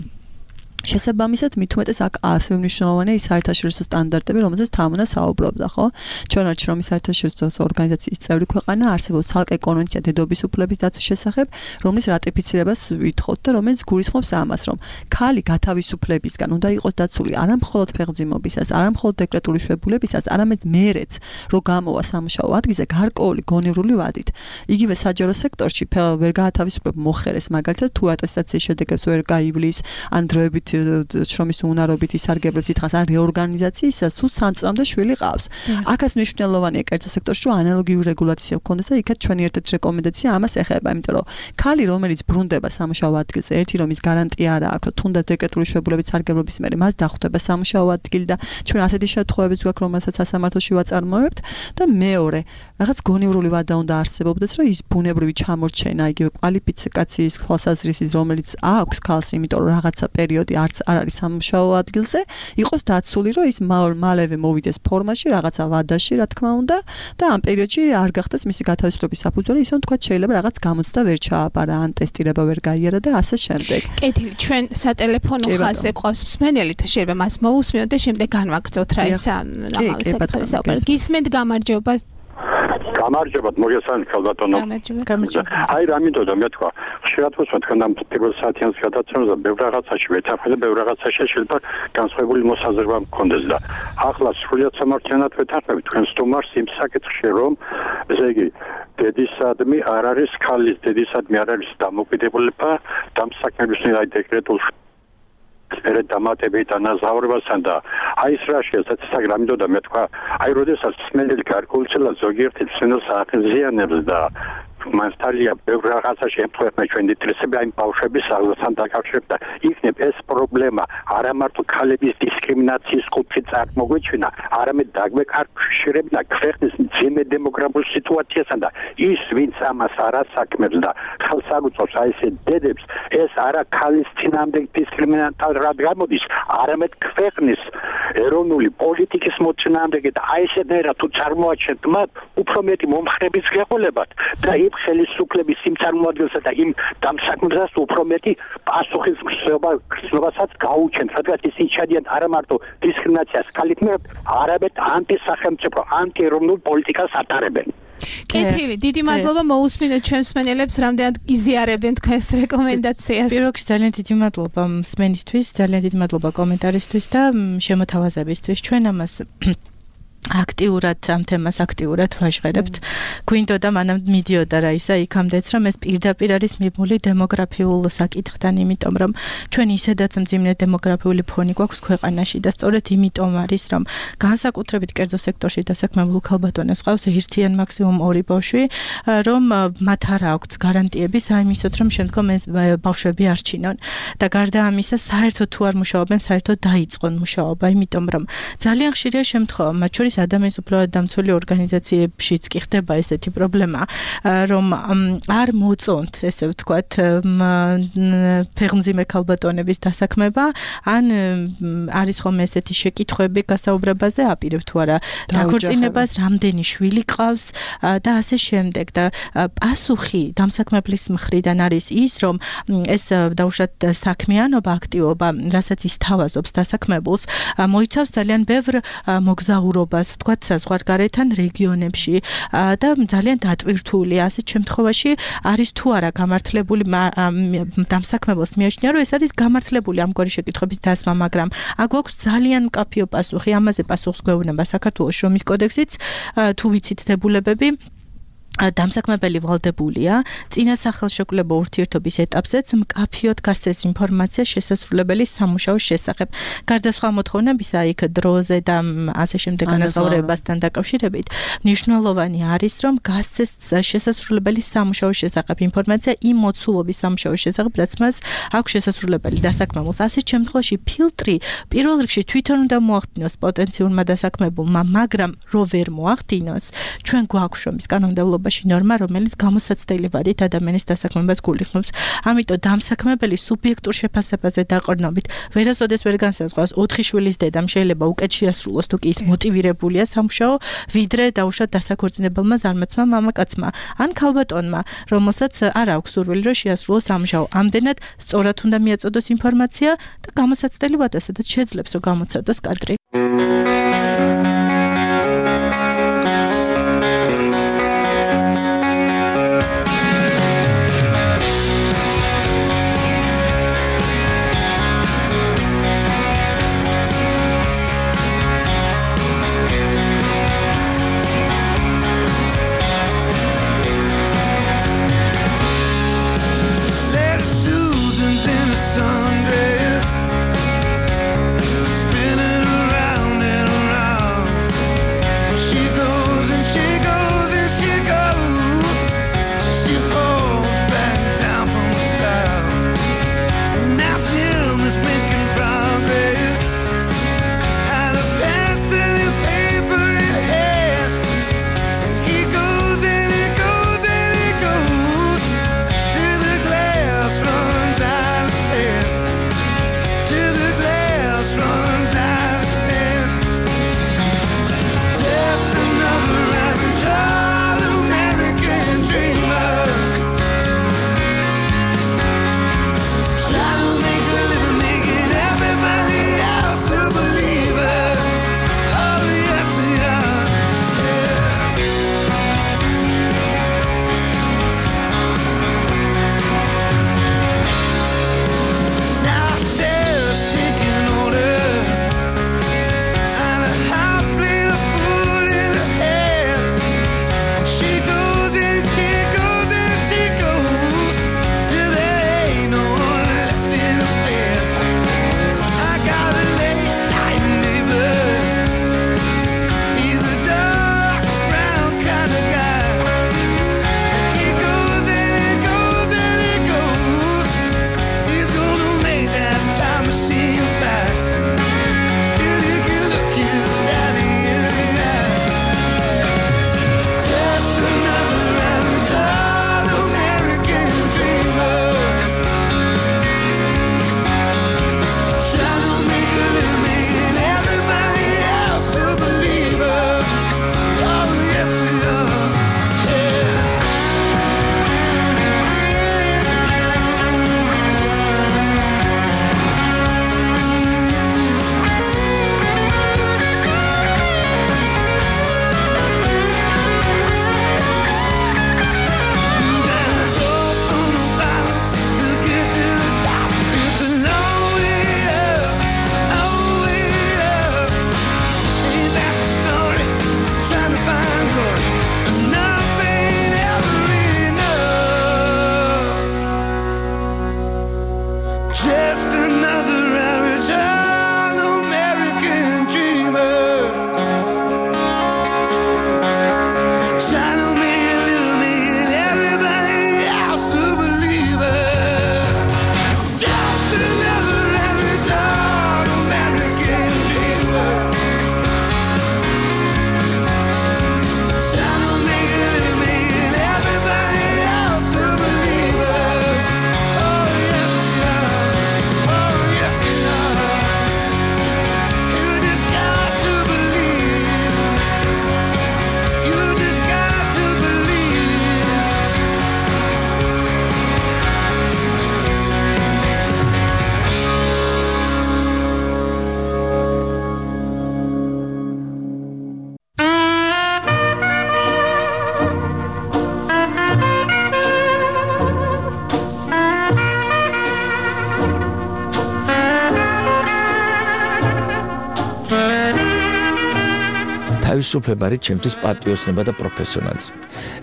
შესაბამისად მით უმეტეს აქ ასევე მნიშვნელოვანია ის საერთაშორისო სტანდარტები, რომელზეც თამუნა საუბრობდა, ხო? ჩვენ არც რომ საერთაშორისო ორგანიზაციის წევრი ქვეყანა არსებობს ცალკე კონვენცია დედობის უფლების დაცვის შესახებ, რომლის რატიფიცირებას ვითხოვთ და რომელიც გულისხმობს ამას, რომ ქალი გათავისუფლებისგან უნდა იყოს დაცული არა მხოლოდ ფეხმძიმობისას, არა მხოლოდ დეკრეტული შვებულებისას, არამედ მერეც, რომ გამოვა სამუშაო ადგილზე გარკვეული გონივრული ვადით. იგივე საჯარო სექტორში ვერ გაათავისუფლებ მოხერეს, მაგალითად თუ ატესტაციის შედეგებს ვერ გაივლის, ან დროებით შრომის უნარობით ისარგებლებს ითხრას ან რეორგანიზაციისას სულ 3 წლამდე შვილი ყავს. აქაც მნიშვნელოვანია კერძო სექტორში რომ ანალოგიური რეგულაცია გქონდეს და იქაც ჩვენი ერთ-ერთი რეკომენდაცია ამას ეხება, იმიტომ რომ ქალი რომელიც ბრუნდება სამუშაო ადგილზე, ერთი რომ ის გარანტია არ აქვს, რომ თუნდაც დეკრეტული შვებულებით სარგებლობის მერე მას დახვდება სამუშაო ადგილი და ჩვენ ასეთი შემთხვევებიც გვაქვს, რომელსაც სასამართლოში ვაწარმოებთ და მეორე, რაღაც გონივრული ვადა უნდა არსებობდეს, რომ ის ბუნებრივი ჩამორჩენა, იგივე კვალიფიკაციის თვალსაზრისით, რომელიც აქვს ქალს, იმიტომ რომ რაღაცა პერიოდი არც არ არის სამუშაო ადგილზე, იყოს დაცული, რომ ის მალევე მოვიდეს ფორმაში, რაღაცა ვადაში, რა თქმა უნდა, და ამ პერიოდში არ გახდეს მისი გათავისუფლების საფუძველი, ისე თქვა შეიძლება რაღაც გამოცდა ვერ ჩააბარა, ან ტესტირება ვერ გაიარა და ასე შემდეგ. კეთილი, ჩვენ სატელეფონო ხაზზე ყავს მსმენელი, შეიძლება მას მოусმინოთ და შემდეგ განვაგრძოთ რა ის ამავე საკითხის საუბარი. გისმენთ, გამარჯობა. გამარჯობათ, მოგესალმებით ქალბატონო. გამარჯობა. აი რა მინდოდა მეთქვა. ხშირად ვუსმენთ თქვენ ამ პირველ საათიანს გადაცემას და ბევრ რაღაცაში ვეთანხმდით, ბევრ რაღაცაში შეიძლება განსხვავებული მოსაზრება მქონდეს და ახლა სრულიად სამართლიანად ვეთანხმებით თქვენ სტუმარს იმ საკითხში, რომ ესე იგი დედისადმი არ არის ქალის, დედისადმი არ არის დამოკიდებულება დამსაქმების აი დეკრეტულ ერთ დამატებით ანაზღაურებასთან და აი ეს რა შესაძლოა გრამიდოდა მე თქვა აი როდესაც სმენელი გარკვეულწილად ზოგიერთი სმენელს აღიზიანებს და მასტალია ბევრ რაღაცაში ემთხვევა ჩვენი ინტერესები აი ბავშვების აღზრდასთან დაკავშირებით და იქნებ ეს პრობლემა არა მარტო ქალების დისკრიმინაციის კუთხით წარმოგვეჩვენა, არამედ დაგვეკავშირებინა ქვეყნის მძიმე დემოგრაფიულ სიტუაციასთან და ის ვინც ამას არ ასაქმებს და ხელს არ უწყობს აი ეს დედებს, ეს არა ქალის წინამდე დისკრიმინაციად გამოდის, არამედ ქვეყნის ეროვნული პოლიტიკის მოწინააღმდეგე და აი ესეთერა თუ წარმოაჩენთ მათ უფრო მეტი მომხრების ღებულებად და იმ ხელისუფლების იმ წარმოადგენსა და იმ დამსაქმებსაც უფრო მეტი პასუხისმგებლობასაც გაუჩენთ, რადგან ისინი ჩადიან არა მარტო დისკრიმინაციას ქალით მიერ, არამედ ანტისახელმწიფო, ანტიეროვნულ პოლიტიკას ატარებენ. კეთილი, დიდი მადლობა მოусმინეთ ჩვენს მსმენელებს, რამდენად იზიარებენ თქვენს რეკომენდაციას. პირველ რიგში ძალიან დიდი მადლობა მსმენისთვის, ძალიან დიდი მადლობა კომენტარისთვის და შემოთავაზებისთვის. ჩვენ ამას აქტიურად ამ თემას აქტიურად ვაჟღერებთ. გვინდოდა მანამ მიდიოდა რა ისა იქამდეც რომ ეს პირდაპირ არის მიბმული დემოგრაფიულ საკითხთან, იმიტომ რომ ჩვენ ისედაც მძიმე დემოგრაფიული ფონი გვაქვს ქვეყანაში და სწორედ იმიტომ არის რომ განსაკუთრებით კერძო სექტორში დასაქმებულ ქალბატონებს ყავს ერთი ან მაქსიმუმ 2 ბავშვი, რომ მათ არ აქვთ გარანტიები საიმისოთ რომ შემდგომ ეს ბავშვები არჩინონ და გარდა ამისა საერთოდ თუ არ მუშაობენ, საერთოდ დაიწყონ მუშაობა, იმიტომ რომ ძალიან ხშირია შემთხვევა, მათ შორის ადამიანის უფლებათა დამცველი ორგანიზაციებშიც კი ხდება ესეთი პრობლემა, რომ არ მოწონთ, ესე ვთქვათ, ფეხმძიმე ქალბატონების დასაქმება, ან არის ხოლმე ესეთი შეკითხვები გასაუბრებაზე, აპირებ თუ არა დაქორწინებას, რამდენი შვილი ყავს და ასე შემდეგ და პასუხი დამსაქმებლის მხრიდან არის ის, რომ ეს დაუშვათ საქმიანობა, აქტივობა, რასაც ის თავაზობს დასაქმებულს, მოიცავს ძალიან ბევრ მოგზაურობას მუშაობას ვთქვათ საზღვარგარეთთან რეგიონებში და ძალიან დატვირთულია ასეთ შემთხვევაში არის თუ არა გამართლებული დამსაქმებელს მიაჩნია რომ ეს არის გამართლებული ამგვარი შეკითხვების დასმა მაგრამ აქ გვაქვს ძალიან მკაფიო პასუხი ამაზე პასუხს გვეუბნება საქართველოს შრომის კოდექსიც თუ ვიცით დებულებები დამსაქმებელი ვალდებულია წინა სახელშეკრულებო ურთიერთობის ეტაპზეც მკაფიოდ გასცეს ინფორმაცია შესასრულებელი სამუშაოს შესახებ. გარდა სხვა მოთხოვნებისა, იქ დროზე და ასე შემდეგ განასწორებასთან დაკავშირებით, მნიშვნელოვანი არის, რომ გასცეს შესასრულებელი სამუშაოს შესახებ ინფორმაცია იმ მოცულობის სამუშაოს შესახებ, რაც მას აქვს შესასრულებელი დასაქმებულს. ასეთ შემთხვევაში ფილტრი პირველ რიგში თვითონ უნდა მოახდინოს პოტენციურმა დასაქმებულმა, მაგრამ რო ვერ მოახდინოს, ჩვენ გვაქვს შრომის კანონმდებლობა ნორმა, რომელიც გამოსაცდელი ვადით ადამიანის დასაქმებას გულისხმობს. ამიტომ დამსაქმებელი სუბიექტურ შეფასებაზე დაყრდნობით ვერასოდეს ვერ განსაზღვრავს 4 შვილის დედამ შეიძლება უკეთ შეასრულოს თუ კი ის მოტივირებულია სამუშაო, ვიდრე დაუშვათ დასაქორწინებელმა ზარმაცმა მამაკაცმა ან ქალბატონმა, რომელსაც არ აქვს სურვილი რომ შეასრულოს სამუშაო. ამდენად სწორად უნდა მიაწოდოს ინფორმაცია და გამოსაცდელი ვადა სადაც შეძლებს რომ გამოცადოს კადრი. Spinning around in თავისუფლება არის ჩემთვის პატრიოტიზმი და პროფესიონალიზმი.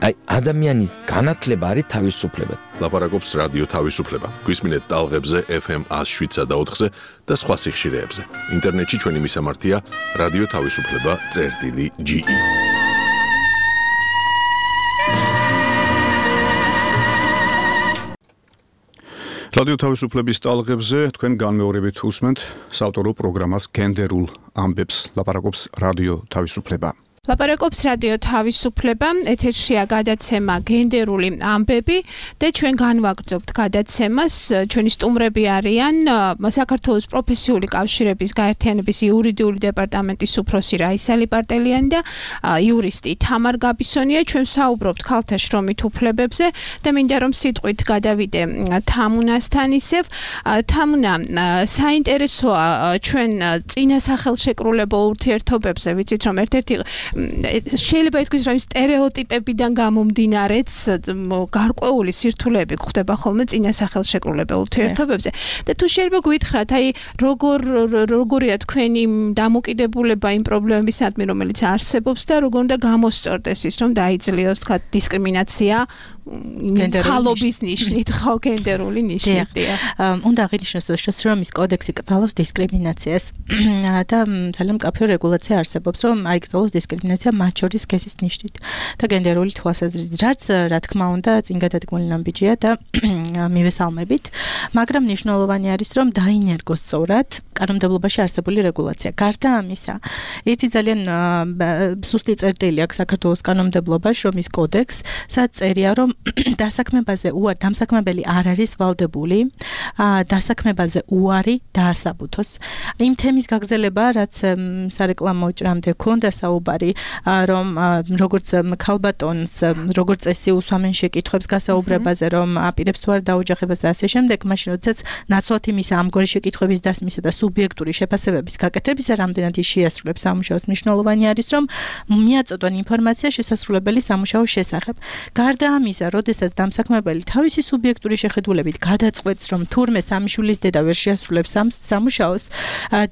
აი ადამიანის განათლება არის თავისუფლება. ლაპარაკობს რადიო თავისუფლება. გვისმინეთ ტალღებზე FM 107.4-ზე და სხვა სიხშირეებზე. ინტერნეტში ჩვენი მისამართია რადიო თავისუფლება.ge. რადიო თავისუფლების ტალღებზე თქვენ განმეორებით უსმენთ საავტორო პროგრამას გენდერულ ამბებს. ლაპარაკობს რადიო თავისუფლება. ლაპარაკობს რადიო თავისუფლება, ეთერშია გადაცემა გენდერული ამბები და ჩვენ განვაგრძობთ გადაცემას. ჩვენი სტუმრები არიან საქართველოს პროფესიული კავშირების გაერთიანების იურიდიული დეპარტამენტის უფროსი რაისა ლიპარტელიანი და იურისტი თამარ გაბისონია. ჩვენ საუბრობთ ქალთა შრომით უფლებებზე და მინდა რომ სიტყვით გადავიდე თამუნასთან ისევ. თამუნა, საინტერესოა ჩვენ წინა სახელშეკრულებო ურთიერთობებზე, ვიცით რომ ერთ-ერთი შეიძლება ითქვას რომ სტერეოტიპებიდან გამომდინარეც გარკვეული სირთულეები გვხდება ხოლმე წინა სახელშეკრულებელ ურთიერთობებზე და თუ შეიძლება გითხრათ აი როგორია თქვენი დამოკიდებულება იმ პრობლემებისადმი რომელიც არსებობს და როგორ უნდა გამოსწორდეს ის რომ დაიძლიოს თქვა დისკრიმინაცია ქალობის ნიშნით ხო გენდერული ნიშნით უნდა აღინიშნოს რომ შრომის კოდექსი კრძალავს დისკრიმინაციას და ძალიან მკაფიო რეგულაცია არსებობს რომ აი კრძალავს დისკრიმინაცია მათ შორის სქესის ნიშნით და გენდერული თვალსაზრისით რაც რა თქმა უნდა წინ გადადგმული ნაბიჯია და მივესალმებით მაგრამ მნიშვნელოვანი არის რომ დაინერგოს სწორად კანონმდებლობაში არსებული რეგულაცია გარდა ამისა ერთი ძალიან სუსტი წერტილი აქვს საქართველოს კანონმდებლობაში შრომის კოდექსს სადაც წერია რომ დასაქმებაზე უარი დამსაქმებელი არ არის ვალდებული დასაქმებაზე უარი დაასაბუთოს იმ თემის გაგრძელება რაც სარეკლამო ჭრამდე ქონდა საუბარი რომ როგორც ქალბატონს როგორც წესი უსვამენ შეკითხვებს გასაუბრებაზე რომ აპირებს თუ არ დაოჯახებას და ასე შემდეგ მაშინ როდესაც ნაცვლად იმისა ამგვარი შეკითხვების დასმისა და სუბიექტური შეფასებების გაკეთებისა რამდენად ის შეასრულებს სამუშაოს მნიშვნელოვანი არის რომ მიაწოდონ ინფორმაცია შესასრულებელი სამუშაოს შესახებ გარდა ამისა როდესაც დამსაქმებელი თავისი სუბიექტური შეხედულებით გადაწყვეტს რომ თურმე სამიშვილის დედა ვერ შეასრულებს სამუშაოს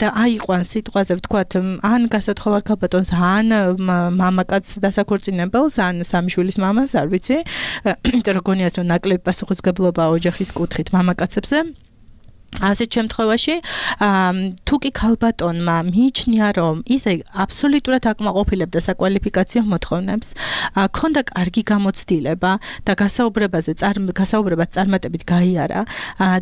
და აიყვანს სიტყვაზე ვთქვათ ან გასათხოვარ ქალბატონს ან მამაკაც დასაქორწინებელს ან სამიშვილის მამას არ ვიცი იმიტომ რომ გონიათ რომ ნაკლები პასუხისმგებლობა ოჯახის კუთხით მამაკაცებზე ასეთ შემთხვევაში თუ კი ქალბატონმა მიიჩნია რომ ისე აბსოლუტურად აკმაყოფილებდა საკვალიფიკაციო მოთხოვნებს ქონდა კარგი გამოცდილება და გასაუბრებად წარმატებით გაიარა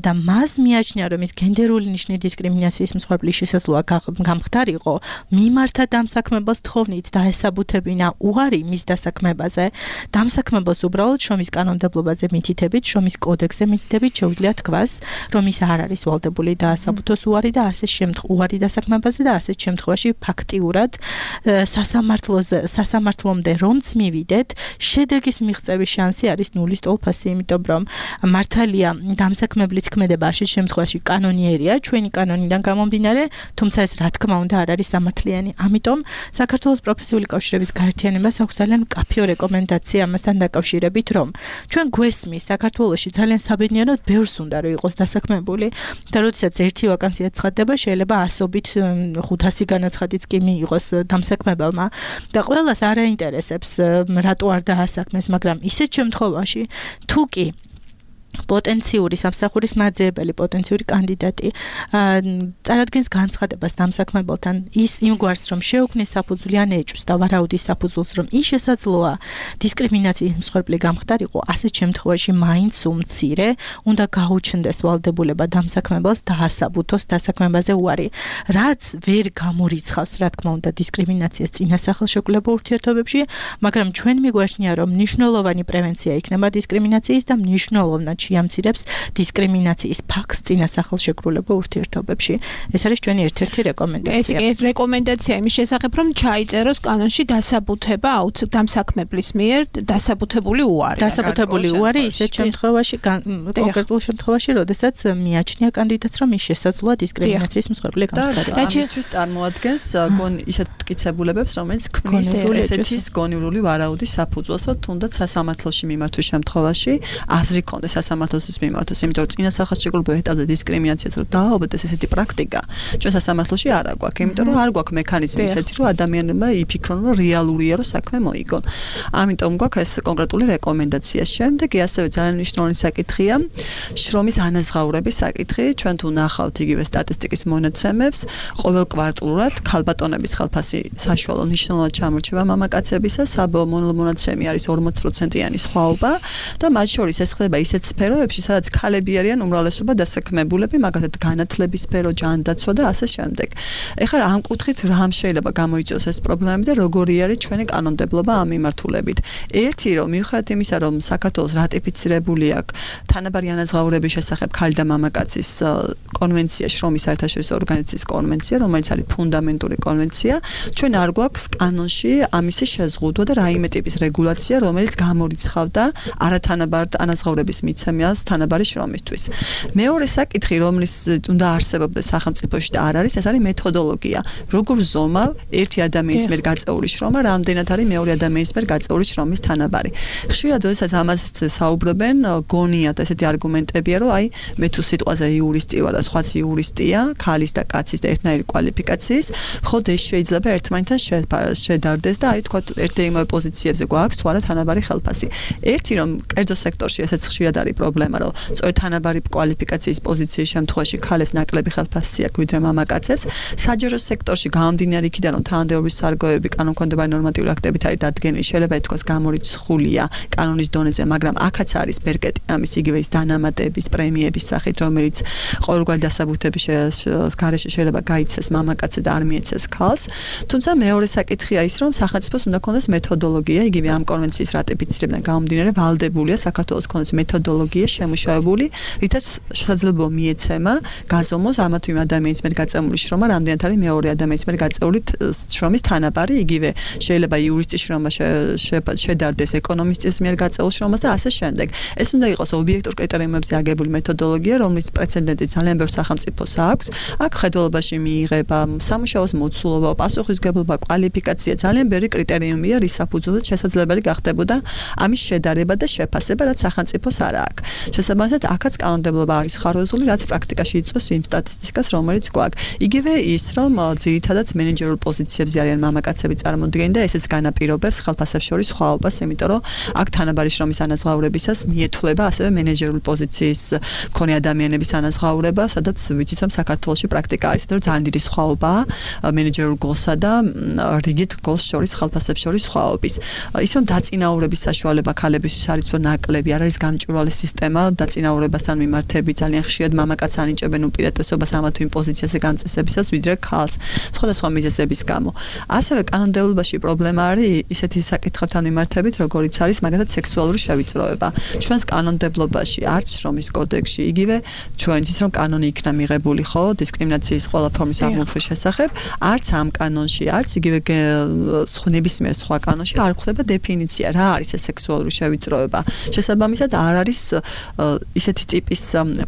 და მას მიაჩნია რომ ის გენდერული ნიშნის დისკრიმინაციის მსხვერპლის შესაძლოა გამხდარიყო მიმართა დამსაქმებელს თხოვნით დაესაბუთებინა უარი მის დასაქმებაზე დამსაქმებელს უბრალოდ შრომის კანონმდებლობაზე მითითებით შრომის კოდექსზე მითითებით შეუძლია თქვას რომ ის არ არის ვალდებული დაასაბუთოს უარი და ასე უარი დასაქმებაზე და ასეთ შემთხვევაში ფაქტიურად სასამართლომდე რომც მივიდეთ შედეგის მიღწევის შანსი არის ნულის ტოლფასი იმიტომ რომ მართალია დამსაქმებლის ქმედება ასეთ შემთხვევაში კანონიერია ჩვენი კანონიდან გამომდინარე თუმცა ეს რა თქმა უნდა არ არის სამართლიანი ამიტომ საქართველოს პროფესიული კავშირების გაერთიანებას აქვს ძალიან მკაფიო რეკომენდაცია ამასთან დაკავშირებით რომ ჩვენ გვესმის საქართველოში ძალიან საბედნიეროდ ბევრს უნდა რომ იყოს დასაქმებული და როდესაც ერთი ვაკანსია ცხადდება შეიძლება 100-ით 500 განაცხადიც კი მიიღოს დამსაქმებელმა და ყველას არ აინტერესებს რატო არ დაასაქმეს მაგრამ ისეთ შემთხვევაში თუ კი პოტენციური სამსახურის მაძიებელი პოტენციური კანდიდატი წარადგენს განცხადებას დამსაქმებელთან ის იმგვარს რომ შეუქმნის საფუძველი ან ეჭვს და ვარაუდის საფუძველს რომ ის შესაძლოა დისკრიმინაციის მსხვერპლი გამხდარიყო ასეთ შემთხვევაში მაინც უმცირე უნდა გაუჩნდეს ვალდებულება დამსაქმებელს დაასაბუთოს დასაქმებაზე უარი რაც ვერ გამორიცხავს რა თქმა უნდა დისკრიმინაციას წინა სახელშეკრულებო ურთიერთობებში მაგრამ ჩვენ მიგვაჩნია რომ მნიშვნელოვანი პრევენცია იქნება დისკრიმინაციის და მნიშვნელოვნად შეამცირებს დისკრიმინაციის ფაქტს წინა სახელშეკრულებო ურთიერთობებში. ეს არის ჩვენი ერთ-ერთი რეკომენდაცია. ეს რეკომენდაცია იმის შესახებ, რომ ჩაიწეროს კანონში დასაბუთება დამსაქმებლის მიერ დასაბუთებული უარი. დასაბუთებული უარი ისეთ შემთხვევაში კონკრეტულ შემთხვევაში, როდესაც მიაჩნია კანდიდატს, რომ ის შესაძლოა დისკრიმინაციის მსხვერპლი გამხდარიყო. რაჩისთვის წარმოადგენს გონ ისეთ მტკიცებულებებს, რომელიც ქმნის ესეთის გონივრული ვარაუდის საფუძველს, თუნდაც სასამართლოში მიმართვის შემთხვევაში აზრი კონდეს სასამართლოსთვის მიმართოს, იმიტომ რომ წინა სახასიათებლობრივ ეტაპზე დისკრიმინაციას რომ დააობდეს ესეთი პრაქტიკა, ჩვენ სასამართლოში არ აგვაქვს, იმიტომ რომ არ გვაქვს მექანიზმი ისეთი, რომ ადამიანებმა იფიქრონ, რომ რეალურია, რომ საქმე მოიგონ. ამიტომ გვაქვს ეს კონკრეტული რეკომენდაცია. შემდეგი ასევე ძალიან მნიშვნელოვანი საკითხია შრომის ანაზღაურების საკითხი. ჩვენ თუ ნახავთ იგივე სტატისტიკის მონაცემებს, ყოველ კვარტალურად ქალბატონების ხალხასი საშუალო მნიშვნელოვნად ჩამორჩება მამაკაცებისა, საბოლოო მონაცემი არის 40%-იანი სხვაობა და მათ შორის ეს ხდება ისეთ სფეროებში, სადაც ქალები არიან უმრავლესობა დასაქმებულები, მაგალითად განათლების სფერო, ჯანდაცვა და ასე შემდეგ. ეხლა ამ კუთხით რამ შეიძლება გამოიწვიოს ეს პრობლემები და როგორი არის ჩვენი კანონმდებლობა ამ მიმართულებით. ერთი რომ მიუხედავად იმისა, რომ საქართველოს რატიფიცირებული აქვს თანაბარი ანაზღაურების შესახებ ქალი და მამაკაცის კონვენცია, შრომის საერთაშორისო ორგანიზაციის კონვენცია, რომელიც არის ფუნდამენტური კონვენცია, ჩვენ არ გვაქვს კანონში ამისი შეზღუდვა და რაიმე ტიპის რეგულაცია, რომელიც გამორიცხავდა არათანაბარ ანაზღაურების მიცემას თანაბარი შრომისთვის. მეორე საკითხი, რომლის უნდა არსებობდეს სახელმწიფოში და არ არის, ეს არის მეთოდოლოგია. როგორ ზომავ ერთი ადამიანის მიერ გაწეული შრომა, რამდენად არის მეორე ადამიანის მიერ გაწეული შრომის თანაბარი. ხშირად როდესაც ამას საუბრობენ, გონიათ ესეთი არგუმენტებია, რომ აი მე თუ სიტყვაზე იურისტი ვარ და სხვაც იურისტია, ქალის და კაცის და ერთნაირი კვალიფიკაციის, მხოლოდ ეს შეიძლება ერთმანეთთან შედარდეს და აი თქვა ერთ-ერთივე პოზიციებზე გვაქვს თუ არა თანაბარი ხელფასი. ერთი რომ კერძო სექტორში ესეც ხშირად არის პრობლემა, რომ სწორედ თანაბარი კვალიფიკაციის პოზიციის შემთხვევაში ქალებს ნაკლები ხელფასი აქვს ვიდრე მამაკაცებს. საჯარო სექტორში გამომდინარე იქიდან რომ თანამდებობის სარგოებები კანონქვემდებარე ნორმატიული აქტებით არის დადგენილი, შეიძლება ითქვას გამორიცხულია კანონის დონეზე, მაგრამ აქაც არის ბერკეტი ამის იგივე ის დანამატების პრემიების სახით, რომელიც ყოველგვარი დასაბუთების გარეშე შეიძლება გაიცეს მამაკაცზე და არ მიეცეს ქალს. თუმცა მეორე საკითხია ის, რომ სახელმწიფოს უნდა ქონდეს მეთოდოლოგია, იგივე ამ კონვენციის რატიფიცირებიდან გამომდინარე ვალდებულია საქართველოს ქონდეს მეთოდოლოგია შემუშავებული, რითაც შესაძლებლობა მიეცემა გაზომოს ამა თუ იმ ადამიანის მიერ გაწეული შრომა, რამდენად არის მეორე ადამიანის მიერ გაწეული შრომის თანაბარი, იგივე შეიძლება იურისტის შრომა შედარდეს ეკონომისტის მიერ გაწეულ შრომას და ასე შემდეგ. ეს უნდა იყოს ობიექტურ კრიტერიუმებზე აგებული მეთოდოლოგია, რომლის პრეცედენტი ძალიან ბევრ სახელმწიფოს აქვს. აქ ხედველობაში მიიღება სამუშაოს მოცულობა, პასუხისმგებლობა, კვალიფიკაცია, ძალიან ბევრი კრიტერიუმია, რის საფუძველზე შესაძლებელი გახდებოდა ამის შედარება და შეფასება, რაც სახელმწიფოს არ აქვს. შესაბამისად, აქაც კანონმდებლობა არის ხარვეზული, რაც პრაქტიკაში იწვევს იმ სტატისტიკას, რომელიც გვაქვს. იგივე ის, რომ ძირითადად მენეჯერულ პოზიციებზე არიან მამაკაცები წარმოდგენილი და ესეც განაპირობებს ხელფასებს შორის სხვაობას, იმიტომ რომ აქ თანაბარი შრომის ანაზღაურებისას მიეთვლება ასევე მენეჯერული პოზიციის მქონე ადამიანების ანაზღაურება, სადაც ვიცით რომ საქართველოში პრაქტიკა არის, რომ ძალიან დიდი სხვაობაა მენეჯერულ გოლსა და რიგით გოლს შორის ხელფასებს შორის სხვაობის. ის რომ დაწინაურების საშუალება ქალებისთვის არის ნაკლები, არ არის გამჭვირვალე სისტემა დაწინაურებასთან მიმართები, ძალიან ხშირად მამაკაცს ანიჭებენ უპირატესობას ამა თუ იმ პოზიციაზე განწესებისას, ვიდრე ქალს, სხვადასხვა მიზეზების გამო. ასევე კანონმდებლობაში პრობლემა არის ისეთი საკითხებთან მიმართებით, როგორიც არის მაგალითად სექსუალური შევიწროება. ჩვენს კანონმდებლობაში არც შრომის კოდექსში, იგივე ჩვენ იცით რომ კანონი იქნა მიღებული, ხო, დისკრიმინაციის ყველა ფორმის აღმოფხვის შესახებ, არც ამ კანონში, არც იგივე ნებისმიერ სხვა კანონში არ გვხვდება დეფინიცია, რა არის ეს სექსუალური შევიწროება. შესაბამისად, არ არის ისეთი ტიპის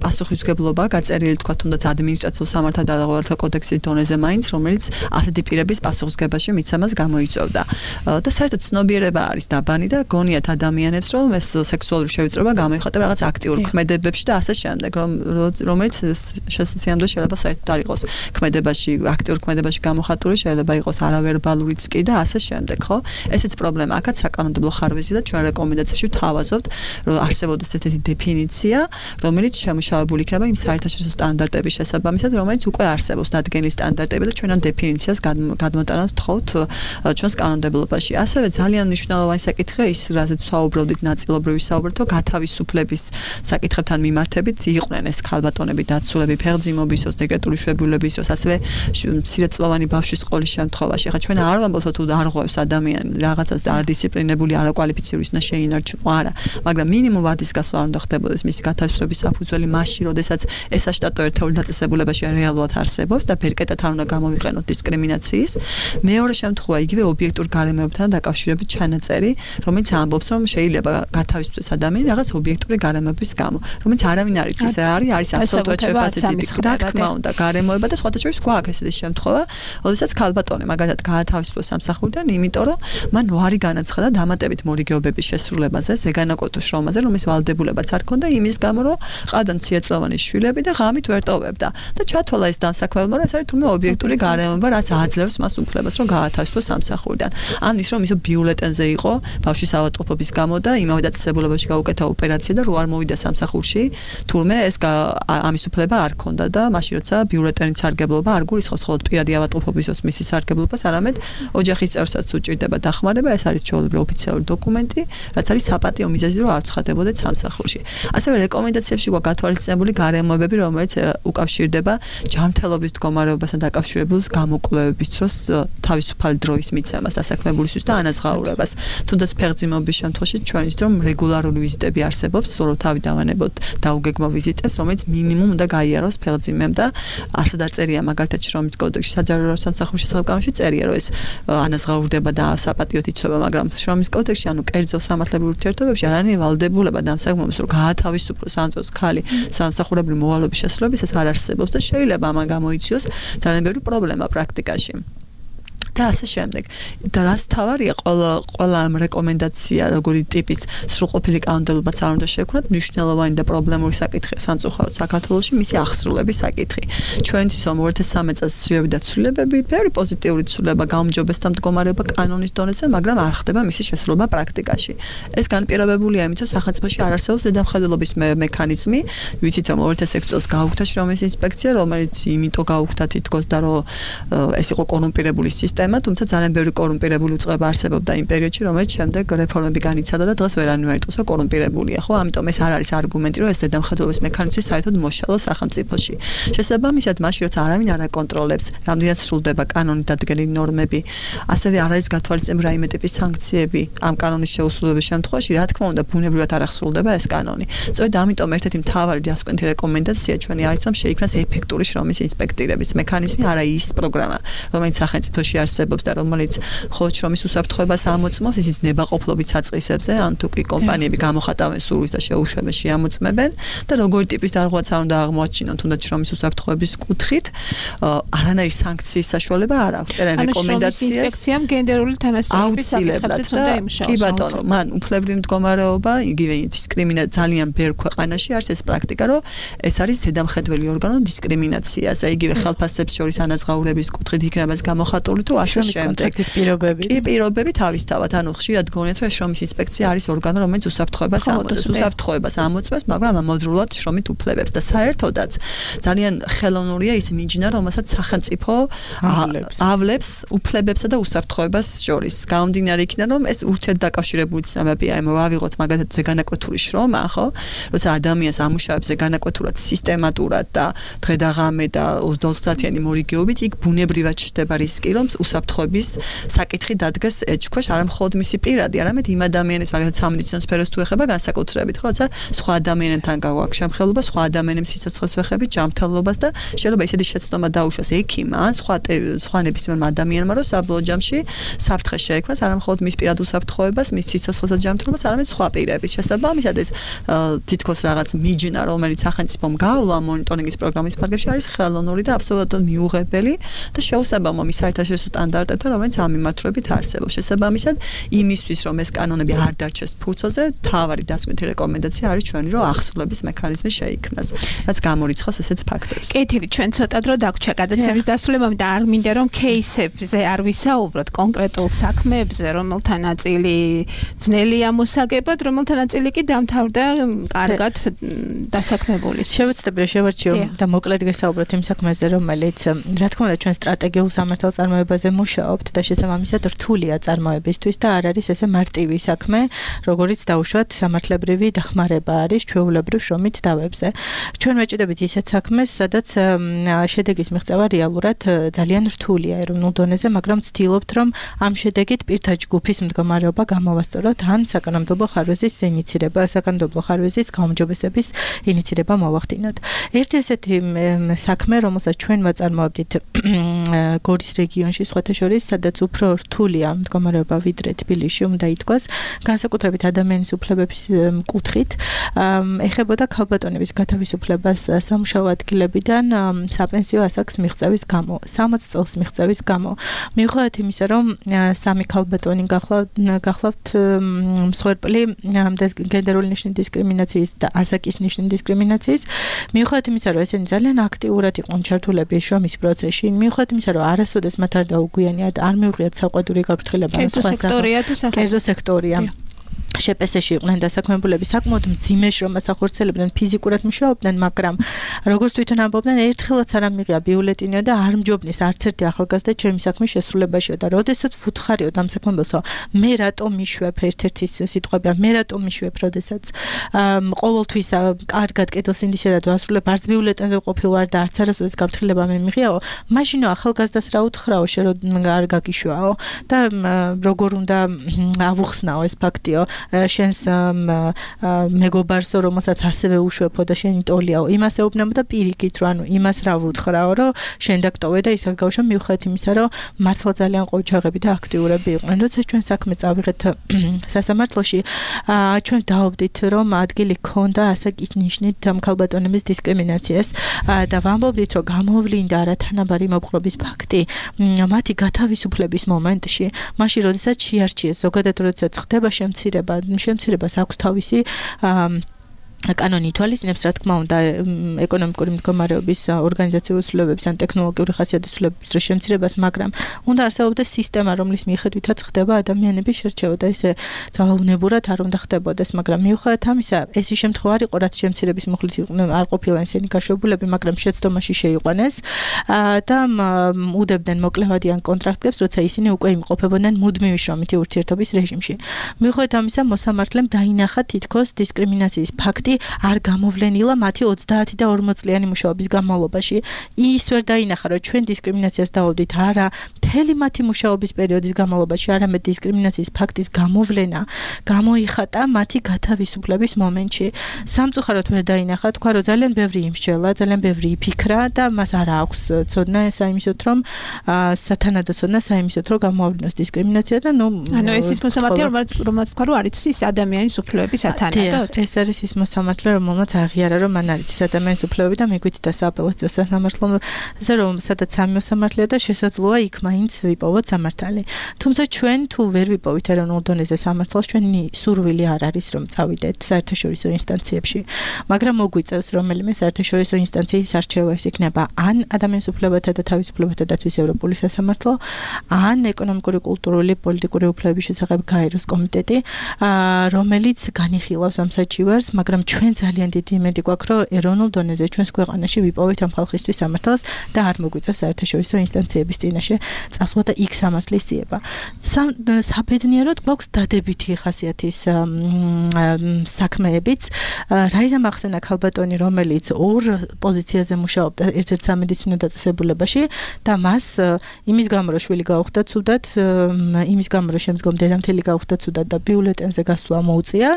პასუხისმგებლობა გაწერილი, თქვა თუნდაც ადმინისტრაციულ სამართალდაღოვართა კოდექსის დონეზე მაინც, რომელიც ასეთი პირების პასუხისმგებაში მიცემას გამოიწვევდა. და საერთოდ ცნობიერება არის დაბანი და გონიათ ადამიანებს, რომ ეს სექსუალური შევიწროება გამოიხატება რაღაც აქტიურ ქმედებებში და ასე შემდეგ, რომელიც შესაძლოა შეიძლება საერთოდ არ იყოს ქმედებაში, აქტიურ ქმედებაში გამოხატული, შეიძლება იყოს არავერბალურიც კი და ასე შემდეგ, ხო? ესეც პრობლემა. აქაც საკანონმდებლო ხარვეზი და ჩვენ რეკომენდაციებში თავაზობთ, რომ არსებობდეს ესეთი დეფინიცია, რომელიც შემუშავებული იქნება იმ საერთაშორისო სტანდარტების შესაბამისად, რომელიც უკვე არსებობს დადგენილი სტანდარტები და ჩვენ ამ დეფინიციას გადმოტანას ვთხოვთ ჩვენს კანონმდებლობაში. ასევე ძალიან მნიშვნელოვანი საკითხია ის, რაზეც ვსაუბრობდით ნაწილობრივი საუბრობთ, გათავისუფლების საკითხებთან მიმართებით იყვნენ ეს ქალბატონები, დაცულები, ფეხმძიმობის დროს, დეკრეტული შვებულების დროს, ასევე მცირეწლოვანი ბავშვის ყოლის შემთხვევაში. ახლა ჩვენ არ ვამბობთ, თუ არ ღვევს ადამიანი რაღაცას არადისციპლინებული, არაკვალიფიციური უნდა შეინარჩუნო, არა, მაგრამ მინიმუმ ვადის გასვლა არ უნდა ხდებოდეს მისი გათავისუფლების საფუძველი მაშინ, როდესაც ეს საშტატო ერთეული დაწესებულებაში რეალურად არსებობს და ბერკეტად არ უნდა გამოვიყენოთ დისკრიმინაციის. მეორე შემთხვევა იგივე ობიექტურ გარემოებთან დაკავშირებით ჩანაწერი, რომელიც ამბობს, რომ შეიძლება გათავისუფლდეს ადამიანი რაღაც ობიექტური გარემოების გამო, რომელიც არავინ არ იცის რა არის აბსოლუტურად შეფასებული. რა თქმა უნდა, გარემოება და სხვათა შორის გვაქვს ესეთი შემთხვევა, როდესაც ქალბატონი მაგალითად გაათავისუფლეს სამსახურიდან, იმიტომ რომ მან უარი განაცხადა დამატებით მორიგეობების შესრულებაზე, ზეგანაკოთო შრომაზე, რომლის ვალდებულება შესაძლებელობაც არ ქონდა იმის გამო, რომ ყავდა მცირეწლოვანი შვილები და ღამით ვერ ტოვებდა. და ჩათვალა ეს დამსაქმებელმა, რომ ეს არის თუნდაც ობიექტური გარემოება, რაც აძლევს მას უფლებას, რომ გაათავისუფლოს სამსახურიდან. ან ის რომ ისო ბიულეტენზე იყო ბავშვის ავადმყოფობის გამო და იმავე დაწესებულებაში გაუკეთა ოპერაცია და რო არ მოვიდა სამსახურში, თურმე ეს ამის უფლება არ ქონდა და მაშინ როცა ბიულეტენით სარგებლობა არ გულისხმობს მხოლოდ პირადი ავადმყოფობისას მისი სარგებლობას, არამედ ოჯახის წევრსაც უჭირდება დახმარება, ეს არის ჩვეულებრივი ოფიციალური დოკუმენტი, რაც არის საპატიო მიზეზი, რომ არ ცხადებოდეთ სამსახურში. ასევე რეკომენდაციებში გვაქვს გათვალისწინებული გარემოებები, რომელიც უკავშირდება ჯანმრთელობის მდგომარეობასთან დაკავშირებულ გამოკვლევების დროს თავისუფალი დროის მიცემას დასაქმებულისთვის და ანაზღაურებას. თუნდაც ფეხმძიმეობის შემთხვევაში ჩვენ ვიცით, რომ რეგულარული ვიზიტები არსებობს, სულ თავი დავანებოთ დაუგეგმო ვიზიტებს, რომელიც მინიმუმ უნდა გაიაროს ფეხმძიმემ და ასე დაწერია მაგალითად შრომის კოდექსში, საჯარო სამსახურის შესახებ კანონში წერია, რომ ეს ანაზღაურდება და საპატიოდ იცვება, მაგრამ შრომის კოდექსში, ანუ კერძო სამართლებრივ ურთიერთობებში არ არის ვალდებულება დამსაქმებელს, რომ გაათავისუფლოს ამ დროს ხალი სამსახურებრივი მოვალეობის შესრულებისას არ არსებობს და შეიძლება ამან გამოიწვიოს ძალიან ბევრი პრობლემა პრაქტიკაში. და ასე შემდეგ. და რას თავარია ყველა ამ რეკომენდაცია, როგორი ტიპის სრულყოფილი კანონმდებლობაც არ უნდა შევქმნათ, მნიშვნელოვანი და პრობლემური საკითხია სამწუხაროდ საქართველოში მისი აღსრულების საკითხი. ჩვენთვის 2013 წელს სვიები და ცვლილებები, ბევრი პოზიტიური ცვლილება გაუმჯობესდა მდგომარეობა კანონის დონეზე, მაგრამ არ ხდება მისი შესრულება პრაქტიკაში. ეს განპირობებულია იმით, რომ სახელმწიფოში არ არსებობს ზედამხედველობის მექანიზმი. ვიცით, რომ 2006 წელს გაუქმდა შრომის ინსპექცია, რომელიც იმიტომ გაუქმდა თითქოს და რომ ეს იყო კორუმპირებული სისტემა, თუმცა ძალიან ბევრი კორუმპირებული უწყება არსებობდა იმ პერიოდში, რომელიც შემდეგ რეფორმები განიცადა და დღეს ვერანაირ არ იტყვის, რომ კორუმპირებულია, ხო? ამიტომ ეს არ არის არგუმენტი, რომ ეს ზედამხედველობის მექანიზმი საერთოდ მოშალოს სახელმწიფოში. შესაბამისად, მაშინ როცა არავინ არ აკონტროლებს, რამდენად სრულდება კანონით დადგენილი ნორმები, ასევე არ არის გათვალისწინებული რაიმე ტიპის სანქციები ამ კანონის შეუსრულების შემთხვევაში, რა თქმა უნდა, ბუნებრივად არ აღსრულდება ეს კანონი. სწორედ ამიტომ ერთ-ერთი მთავარი დასკვეთი რეკომენდაცია ჩვენი არის, რომ შეიქმნას ეფექტური შრომის ინსპექტირების მექანიზმი, არა ის პროგრამა, რომელიც სახელმწიფოში არსებობს და რომელიც მხოლოდ შრომის უსაფრთხოებას ამოწმობს, ისიც ნებაყოფლობით საწყისებზე, ან თუ კი კომპანიები გამოხატავენ სურვილს და შეუშვებას შეამოწმებენ და როგორი ტიპის დარღვევაც არ უნდა აღმოაჩინონ, თუნდაც შრომის უსაფრთხოების კუთხით, არანაირი სანქციის საშუალება არ აქვს. წერენ რეკომენდაციებს. ინსპექციამ გენდერული თანასწორობის საკითხებზეც უნდა იმუშაოს. კი ბატონო, მან უფლებრივი მდგომარეობა, იგივე დისკრიმინაცია ძალიან ბევრ ქვეყანაში არის ეს პრაქტიკა, რომ ეს არის ზედამხედველი ორგანო დისკრიმინაციაზე, იგივე ხელფასებს შორის ანაზღაურების კუთხით იქნება ეს გამოხატული თუ ასე შემდეგ. კი პირობები თავისთავად, ანუ ხშირად გონიათ, რომ შრომის ინსპექცია არის ორგანო, რომელიც უსაფრთხოებას ამოწმებს. უსაფრთხოებას ამოწმებს, მაგრამ ამავდროულად შრომით უფლებებს და საერთოდაც ძალიან ხელოვნურია ის მიჯნა, რომელსაც სახელმწიფო ავლებს უფლებებსა და უსაფრთხოებას შორის. გამომდინარე იქიდან, რომ ეს ურთიერთდაკავშირებული ცნებებია, ავიღოთ მაგალითად ზეგანაკვეთური შრომა, ხო? როცა ადამიანს ამუშავებს ზეგანაკვეთურად, სისტემატურად და დღე და ღამე და 24 საათიანი მორიგეობით, იქ ბუნებრივად ჩნდება რისკი, რომ უსაფრთხოების საკითხი დადგეს ეჭქვეშ, არა მხოლოდ მისი პირადი, არამედ იმ ადამიანის, მაგალითად სამედიცინო სფეროს თუ ეხება განსაკუთრებით, ხო, როცა სხვა ადამიანებთან გაგვაქვს შემხელობა, სხვა ადამიანების სიცოცხლეს ვეხებით, ჯანმრთელობას და შეიძლება ისეთი შეცდომა დაუშვას ექიმმა, სხვა ნებისმიერმა ადამიანმა, რომ საბოლოო ჯამში საფრთხე შეექმნას, არა მხოლოდ მის პირად უსაფრთხოებას, მის სიცოცხლეს და ჯანმრთელობას, არამედ სხვა პირების. შესაბამისად ეს თითქოს რაღაც მიჯნა, რომელიც სახელმწიფომ გავლა მონიტორინგის პროგრამის ფარგლებში არის ხელოვნური და აბსოლუტურად მიუღებელი და შეუსაბამო მის საერთაშორისო სტანდარტებთან, რომელიც ამ მიმართულებით არსებობს. შესაბამისად, იმისთვის, რომ ეს კანონები არ დარჩეს ფურცელზე, თავარი დასკვეთი რეკომენდაცია არის ჩვენი, რომ აღსრულების მექანიზმი შეიქმნას, რაც გამორიცხავს ესეთ ფაქტებს. კეთილი, ჩვენ ცოტა დრო დაგვრჩა გადაცემის დასრულებამდე და არ მინდა რომ кейსებზე არ ვისაუბროთ, კონკრეტულ საქმეებზე, რომელთა ნაწილი ძნელია მოსაგებად, რომელთა ნაწილი კი დამთავრდა კარგად დასაქმებულის. შევეცდები შევარჩიო და მოკლედ გესაუბროთ იმ საქმეზე, რომელიც რა თქმა უნდა ჩვენ სტრატეგიულ სამართალწარმოებაზე მუშაობთ და შესაბამისად რთულია წარმოებისთვის და არ არის ესე მარტივი საქმე, როგორიც დაუშვათ სამართლებრივი დახმარება არის ჩვეულებრივ შრომით დავებზე. ჩვენ ვეჭდებით ისეთ საქმეს, სადაც შედეგის მიღწევა რეალურად ძალიან რთულია ეროვნულ დონეზე, მაგრამ ვცდილობთ, რომ ამ შედეგით პირთა ჯგუფის მდგომარეობა გამოვასწოროთ, ან საკანონმდებლო ხარვეზის ინიცირება, საკანონმდებლო ხარვეზის გაუმჯობესების ინიცირება მოვახდინოთ. ერთი ესეთი საქმე, რომელსაც ჩვენ ვაწარმოებდით გორის რეგიონში, სხვათა შორის, სადაც უფრო რთულია მდგომარეობა ვიდრე თბილისში უნდა ითქვას, განსაკუთრებით ადამიანის უფლებების კუთხით, ეხებოდა ქალბატონების გათავისუფლებას სამუშაო ადგილებიდან საპენსიო ასაკს მიღწევის გამო, 60 წელს მიღწევის გამო. მიუხედავად იმისა, რომ სამი ქალბატონი გახლავთ მსხვერპლი გენდერული ნიშნის დისკრიმინაციის და ასაკის ნიშნის დისკრიმინაციის, მიუხედავად იმისა, რომ ესენი ძალიან აქტიურად იყვნენ ჩართულები შრომის პროცესში, მიუხედავად იმისა, რომ არასოდეს მათ არ დაუგვიანიათ, არ მიუღიათ საყვედური გაფრთხილება, კერძო სექტორია. შეპესეში იყვნენ დასაქმებულები საკმაოდ მძიმე შრომას ახორციელებდნენ, ფიზიკურად მუშაობდნენ, მაგრამ როგორც თვითონ ამბობდნენ, ერთხელაც არ ამიღია ბიულეტინი და არ მჯობნის არც ერთი ახალგაზრდა ჩემი საქმის შესრულებაშია და როდესაც ვუთხარიოდ ამ საქმებელსო, მე რატომ მიშვებ ერთ-ერთი სიტყვებია, მე რატომ მიშვებ, როდესაც ყოველთვის კარგად კეთილსინდისერად ვასრულებ, არც ბიულეტენზე ვყოფილ ვარ და არც არასოდეს გაფრთხილება მე მიღიაო, მაშინო ახალგაზრდას რა უთხრაო, შენ არ გაგიშვაო და როგორ უნდა ავუხსნაო ეს ფაქტიო. შენს მეგობარსო, რომელსაც ასევე უშვებო და შენი ტოლიაო, იმას ეუბნებოდა პირიქით, რომ ანუ იმას რა ვუთხრაო, რომ შენ დაგტოვე და ის გაგავშვა, მიუხედავად იმისა, რომ მართლა ძალიან ყოჩაღები და აქტიურები იყვნენ. როდესაც ჩვენ საქმე წავიღეთ სასამართლოში, ჩვენ დავობდით, რომ ადგილი ქონდა ასაკის ნიშნით ქალბატონების დისკრიმინაციას და ვამბობდით, რომ გამოვლინდა არათანაბარი მოპყრობის ფაქტი მათი გათავისუფლების მომენტში, მაშინ როდესაც შეარჩიეს, ზოგადად როდესაც ხდება შემცირებას აქვს თავისი კანონი ითვალისწინებს, რა თქმა უნდა, ეკონომიკური მდგომარეობის ორგანიზაციული ცვლილებების ან ტექნოლოგიური ხასიათის ცვლილებების დროს შემცირებას, მაგრამ უნდა არსებობდეს სისტემა, რომლის მიხედვითაც ხდება ადამიანების შერჩევა და ესე ძალაუნებურად არ უნდა ხდებოდეს, მაგრამ მიუხედავად ამისა, ეს ის შემთხვევა არ იყო, რაც შემცირების მუხლით არ ყოფილან ისინი გაშვებულები, მაგრამ შეცდომაში შეიყვანეს და უდებდნენ მოკლევადიან კონტრაქტებს, როცა ისინი უკვე იმყოფებოდნენ მუდმივი შრომითი ურთიერთობის რეჟიმში. მიუხედავად ამისა, მოსამართლემ დაინახა თითქოს დისკრიმინაციის ფაქტი არ გამოვლენილა მათი 30 და 40 წლიანი მუშაობის განმავლობაში. ის ვერ დაინახა, რომ ჩვენ დისკრიმინაციას დავობდით არა მთელი მათი მუშაობის პერიოდის განმავლობაში, არამედ დისკრიმინაციის ფაქტის გამოვლენა გამოიხატა მათი გათავისუფლების მომენტში. სამწუხაროდ ვერ დაინახა, თქვა, რომ ძალიან ბევრი იმსჯელა, ძალიან ბევრი იფიქრა და მას არ აქვს ცოდნა საიმისოთ, რომ სათანადო ცოდნა საიმისოთ, რომ გამოავლინოს დისკრიმინაცია და ანუ ეს ის მოსამართლე, რომელიც თქვა, რომ არის ის ადამიანის უფლებების სათანადოდ. ეს არის ის მოსამართლე, რომელმაც აღიარა, რომ მან არის ადამიანის უფლებები და მიგვით და სააპელაციო სასამართლოზე, რომ სადაც სამი მოსამართლეა და შესაძლოა იქ მაინც ვიპოვოთ სამართალი. თუმცა ჩვენ თუ ვერ ვიპოვით ეროვნულ დონეზე სამართალს, ჩვენი სურვილი არ არის, რომ წავიდეთ საერთაშორისო ინსტანციებში, მაგრამ მოგვიწევს რომელიმე საერთაშორისო ინსტანციის არჩევა, ეს იქნება ან ადამიანის უფლებათა და თავისუფლებათა დაცვის ევროპული სასამართლო, ან ეკონომიკური, კულტურული, პოლიტიკური უფლებების შესახებ გაეროს კომიტეტი, რომელიც განიხილავს ამ საჩივარს, მაგრამ ჩვენ ძალიან დიდი იმედი გვაქვს, რომ ეროვნულ დონეზე ჩვენს ქვეყანაში ვიპოვეთ ამ ხალხისთვის სამართალს და არ მოგვიწევს საერთაშორისო ინსტანციების წინაშე წასვლა და იქ სამართლის ძიება. საბედნიეროდ გვაქვს დადებითი ხასიათის საქმეებიც. რაიზა მახსენა ქალბატონი, რომელიც ორ პოზიციაზე მუშაობდა ერთ-ერთ სამედიცინო დაწესებულებაში და მას იმის გამო რომ შვილი გაუხდა ცუდად, იმის გამო რომ შემდგომ დედამთილი გაუხდა ცუდად და ბიულეტენზე გასვლა მოუწია,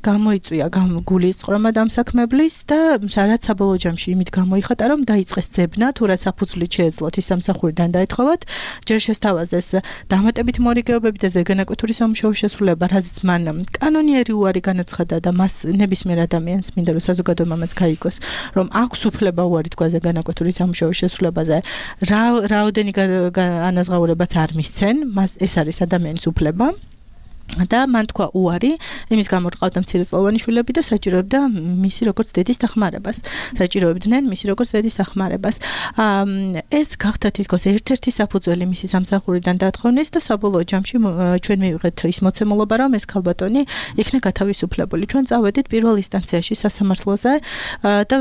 გამოიწვია გულის წრომა დამსაქმებლის და რაც საბოლოო ჯამში იმით გამოიხატა, რომ დაიწყეს ძებნა, თუ რაც საფუძვლით შეეძლოთ ის სამსახურიდან დაეთხოვათ, ჯერ შესთავაზეს დამატებით მორიგეობები და ზეგანაკვეთური სამუშაო შესრულება, რაზეც მან კანონიერი უარი განაცხადა და მას ნებისმიერ ადამიანს მინდა რომ საზოგადოებამაც გაიგოს, რომ აქვს უფლება უარი თქვა ზეგანაკვეთური სამუშაო შესრულებაზე, რაოდენი ანაზღაურებაც არ მისცენ, მას ეს არის ადამიანის უფლება. და მან თქვა უარი იმის გამო რომ ყავდა მცირეწლოვანი შვილები და საჭიროებდა მისი როგორც დედის დახმარებას. საჭიროებდნენ მისი როგორც დედის დახმარებას. ეს გახდა თითქოს ერთ-ერთი საფუძველი მისი სამსახურიდან დათხოვნის და საბოლოო ჯამში ჩვენ მივიღეთ ის მოცემულობა, რომ ეს ქალბატონი იქნა გათავისუფლებული. ჩვენ წავედით პირველ ინსტანციაში სასამართლოზე და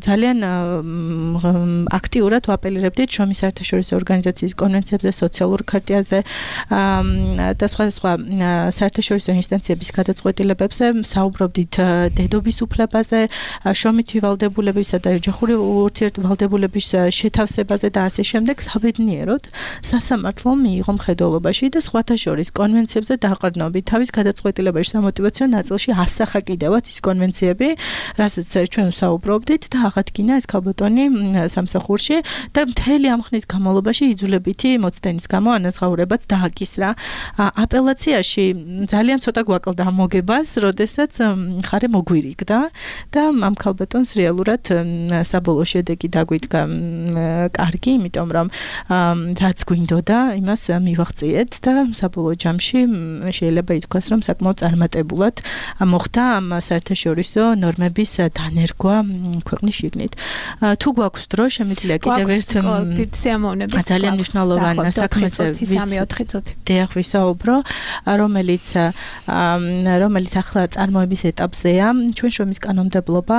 ძალიან აქტიურად ვაპელირებდით შრომის საერთაშორისო ორგანიზაციის კონვენციებზე, სოციალურ ქარტიაზე და სხვა საერთაშორისო ინსტანციების გადაწყვეტილებებზე, საუბრობდით დედობის უფლებაზე, შრომითი ვალდებულებისა და ოჯახური ურთიერთვალდებულების შეთავსებაზე და ასე შემდეგ. საბედნიეროდ სასამართლომ მიიღო მხედველობაში და სხვათა შორის კონვენციებზე დაყრდნობით თავის გადაწყვეტილებაში სამოტივაციო ნაწილში ასახა კიდევაც ის კონვენციები, რასაც ჩვენ ვსაუბრობდით და აღადგინა ეს ქალბატონი სამსახურში და მთელი ამ ხნის განმავლობაში იძულებითი მოცდენის გამო ანაზღაურებაც დააკისრა. აპელაციაში ძალიან ცოტა გვაკლდა მოგებას, როდესაც მხარე მოგვირიგდა და ამ ქალბატონს რეალურად საბოლოო შედეგი დაგვიდგა კარგი, იმიტომ რომ რაც გვინდოდა, იმას მივაღწიეთ და საბოლოო ჯამში შეიძლება ითქვას, რომ საკმაოდ წარმატებულად მოხდა ამ საერთაშორისო ნორმების დანერგვა ქვეყნის შიგნით. თუ გვაქვს დრო, შემიძლია კიდევ ერთ ძალიან მნიშვნელოვან საქმეზე ვისაუბრო, რომელიც ახლა წარმოების ეტაპზეა. ჩვენ შრომის კანონმდებლობა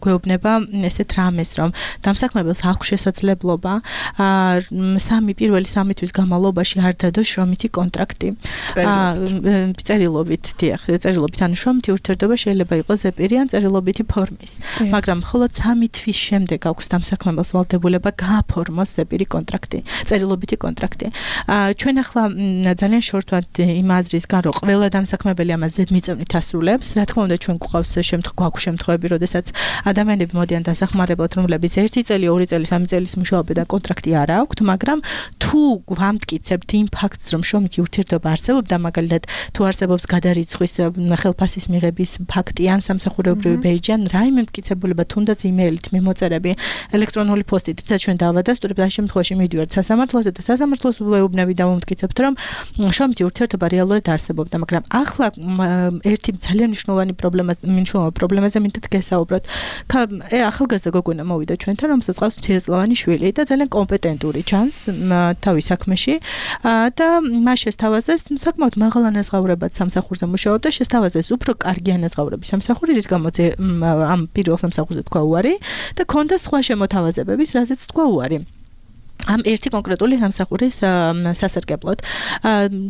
გვეუბნება ესეთ რამეს, რომ დამსაქმებელს აქვს შესაძლებლობა პირველი 3 თვის განმავლობაში არ დადოს შრომითი კონტრაქტი. წერილობით, ანუ შრომითი ურთიერთობა შეიძლება იყოს ზეპირი ან წერილობითი ფორმის, მაგრამ მხოლოდ 3 თვის შემდეგ აქვს დამსაქმებელს ვალდებულება გააფორმოს ზეპირი კონტრაქტი, წერილობითი კონტრაქტი. ჩვენ ახლა ძალიან შორტვად იმ აზრისგან, რომ ყველა დამსაქმებელი ამას ზედმიწევნით ასრულებს, რა თქმა უნდა ჩვენ გვყავს შემთხვევები, როდესაც ადამიანები მოდიან დასახმარებლად, რომლებიც 1 წელი, 2 წელი, 3 წელის მუშაობენ და კონტრაქტი არ აქვთ, მაგრამ თუ ვამტკიცებთ იმ ფაქტს, რომ შრომითი ურთიერთობა არსებობდა, მაგალითად, თუ არსებობს გადარიცხვის ხელფასის მიღების ფაქტი ან სამსახურებრივი ბეიჯი ან რაიმე მტკიცებულება, თუნდაც იმეილით მიმოწერები, ელექტრონული პოსტით, რაც ჩვენ დავადასტურებთ, ამ შემთხვევაში მივიდივართ სასამართლოზე და სასამართლოს ვეუბნები და ვამტკიცებთ, რომ შრომითი ურთიერთობა რეალურად არსებობდა, მაგრამ ახლა ერთი ძალიან მნიშვნელოვანი პრობლემაზე მინდათ გესაუბროთ. ახალგაზრდა გოგონა მოვიდა ჩვენთან, რომელსაც ყავს მცირეწლოვანი შვილი და ძალიან კომპეტენტური ჩანს თავის საქმეში და მას შესთავაზეს საკმაოდ მაღალ ანაზღაურებად სამსახურზე მუშაობდა, შესთავაზეს უფრო კარგი ანაზღაურების სამსახური, რის გამოც ამ პირველ სამსახურზე თქვა უარი და ქონდა სხვა შემოთავაზებების, რაზეც თქვა უარი. ამ ერთი კონკრეტული სამსახურის სასარგებლოდ.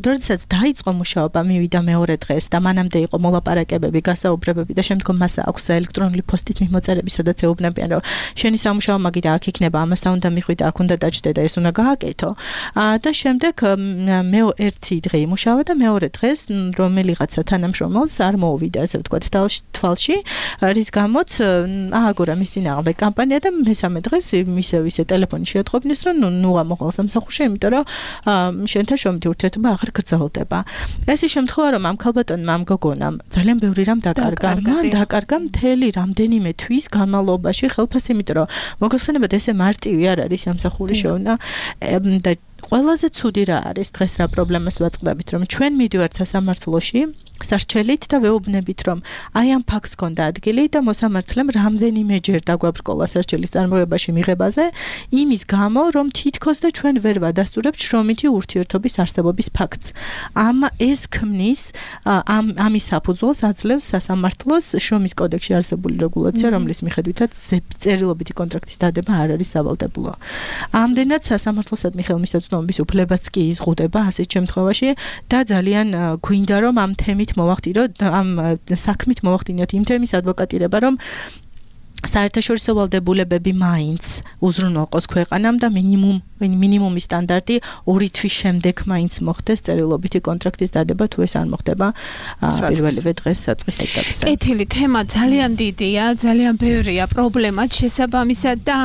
როდესაც დაიწყო მუშაობა, მივიდა მეორე დღეს და მანამდე იყო მოლაპარაკებები, გასაუბრებები და შემდგომ მას აქვს ელექტრონული პოსტით მიმოწერები, სადაც ეუბნებიან, რომ შენი სამუშაო მაგიდა აქ იქნება, ამასთან უნდა მიხვიდე, აქ უნდა დაჭდე და ეს უნდა გააკეთო. და შემდეგ ერთი დღე იმუშავა და მეორე დღეს რომელიღაცა თანამშრომელს არ მოუვიდა, ასე ვთქვათ, თვალში, რის გამოც ააგორა მის წინააღმდეგ კამპანია და მესამე დღეს ისე ტელეფონი შეატყობინეს, რომ ნუ ამოყვალ სამსახურში, იმიტომ რომ შენთან შრომითი ურთიერთობა აღარ გრძელდება. ეს ის შემთხვევა, რომ ამ ქალბატონმა, ამ გოგონამ ძალიან ბევრი რამ დაკარგა. მან დაკარგა მთელი რამდენიმე თვის განმავლობაში ხელფასი, იმიტომ რომ მოგეხსენებათ, ესე მარტივი არ არის სამსახური შეუნა და ყველაზე ცუდი რა არის დღეს რა პრობლემას ვაწყდებით, რომ ჩვენ მივიდივართ სასამართლოში სარჩელით და ვეუბნებით, რომ აი ამ ფაქტს ჰქონდა ადგილი და მოსამართლემ რამდენიმეჯერ დაგვაბრკოლა სარჩელის წარმოებაში მიღებაზე, იმის გამო, რომ თითქოს და ჩვენ ვერ ვადასტურებთ შრომითი ურთიერთობის არსებობის ფაქტს. ეს ქმნის ამის საფუძველს აძლევს სასამართლოს შრომის კოდექსში არსებული რეგულაცია, რომლის მიხედვითაც წერილობითი კონტრაქტის დადება არ არის სავალდებულო. ამდენად სასამართლოსადმი ხელმისაწვდომობის უფლებაც კი იზღუდება ასეთ შემთხვევაში და ძალიან გვინდა, რომ ამ თემით ამ საქმით მოვახდინოთ იმ თემის ადვოკატირება, რომ საერთაშორისო ვალდებულებები მაინც უზრუნველყოს ქვეყანამ და მინიმუმი სტანდარტი 2 თვის შემდეგ მაინც მოხდეს წერილობითი კონტრაქტის დადება, თუ ეს არ მოხდება პირველივე დღეს საწყის ეტაპზე. კეთილი თემა ძალიან დიდია, ძალიან ბევრია პრობლემა შესაბამისად და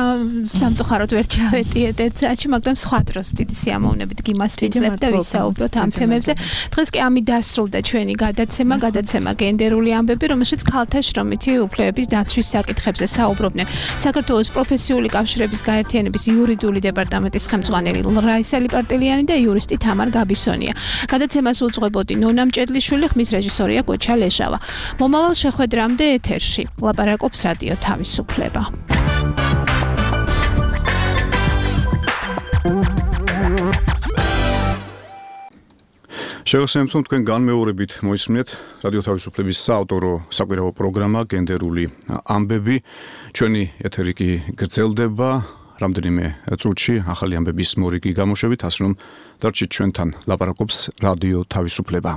სამწუხაროდ ვერ ჩავეტიეთ ერთ საათში, მაგრამ სხვა დროს დიდი სიამოვნებით გიმასპინძლებ და ვისაუბროთ ამ თემებზე. დღეს კი ამით დასრულდა ჩვენი გადაცემა გენდერული ამბები, რომელშიც ქალთა შრომითი უფლებების დაცვის საკითხებზე საუბრობდნენ. საქართველოს პროფესიული კავშირების გაერთიანების იურიდიული დეპარტამენტის ხელმძღვანელი რაისა ლიპარტელიანი და იურისტი თამარ გაბისონია. გადაცემას უძღვებოდი ნონა მჭედლიშვილი, ხმის რეჟისორია კოჩა ლეშავა. მომავალ შეხვედრამდე ეთერში ლაპარაკობს რადიო თავისუფლება. შევხსენებთ, თქვენ განმეორებით მოისმინეთ რადიო თავისუფლების საავტორო საკვირაო პროგრამა გენდერული ამბები. ჩვენი ეთერი კი გრძელდება. რამდენიმე წუთში ახალი ამბების მორიგი გამოშვებით, ასე რომ დარჩით ჩვენთან, ლაპარაკობს რადიო თავისუფლება.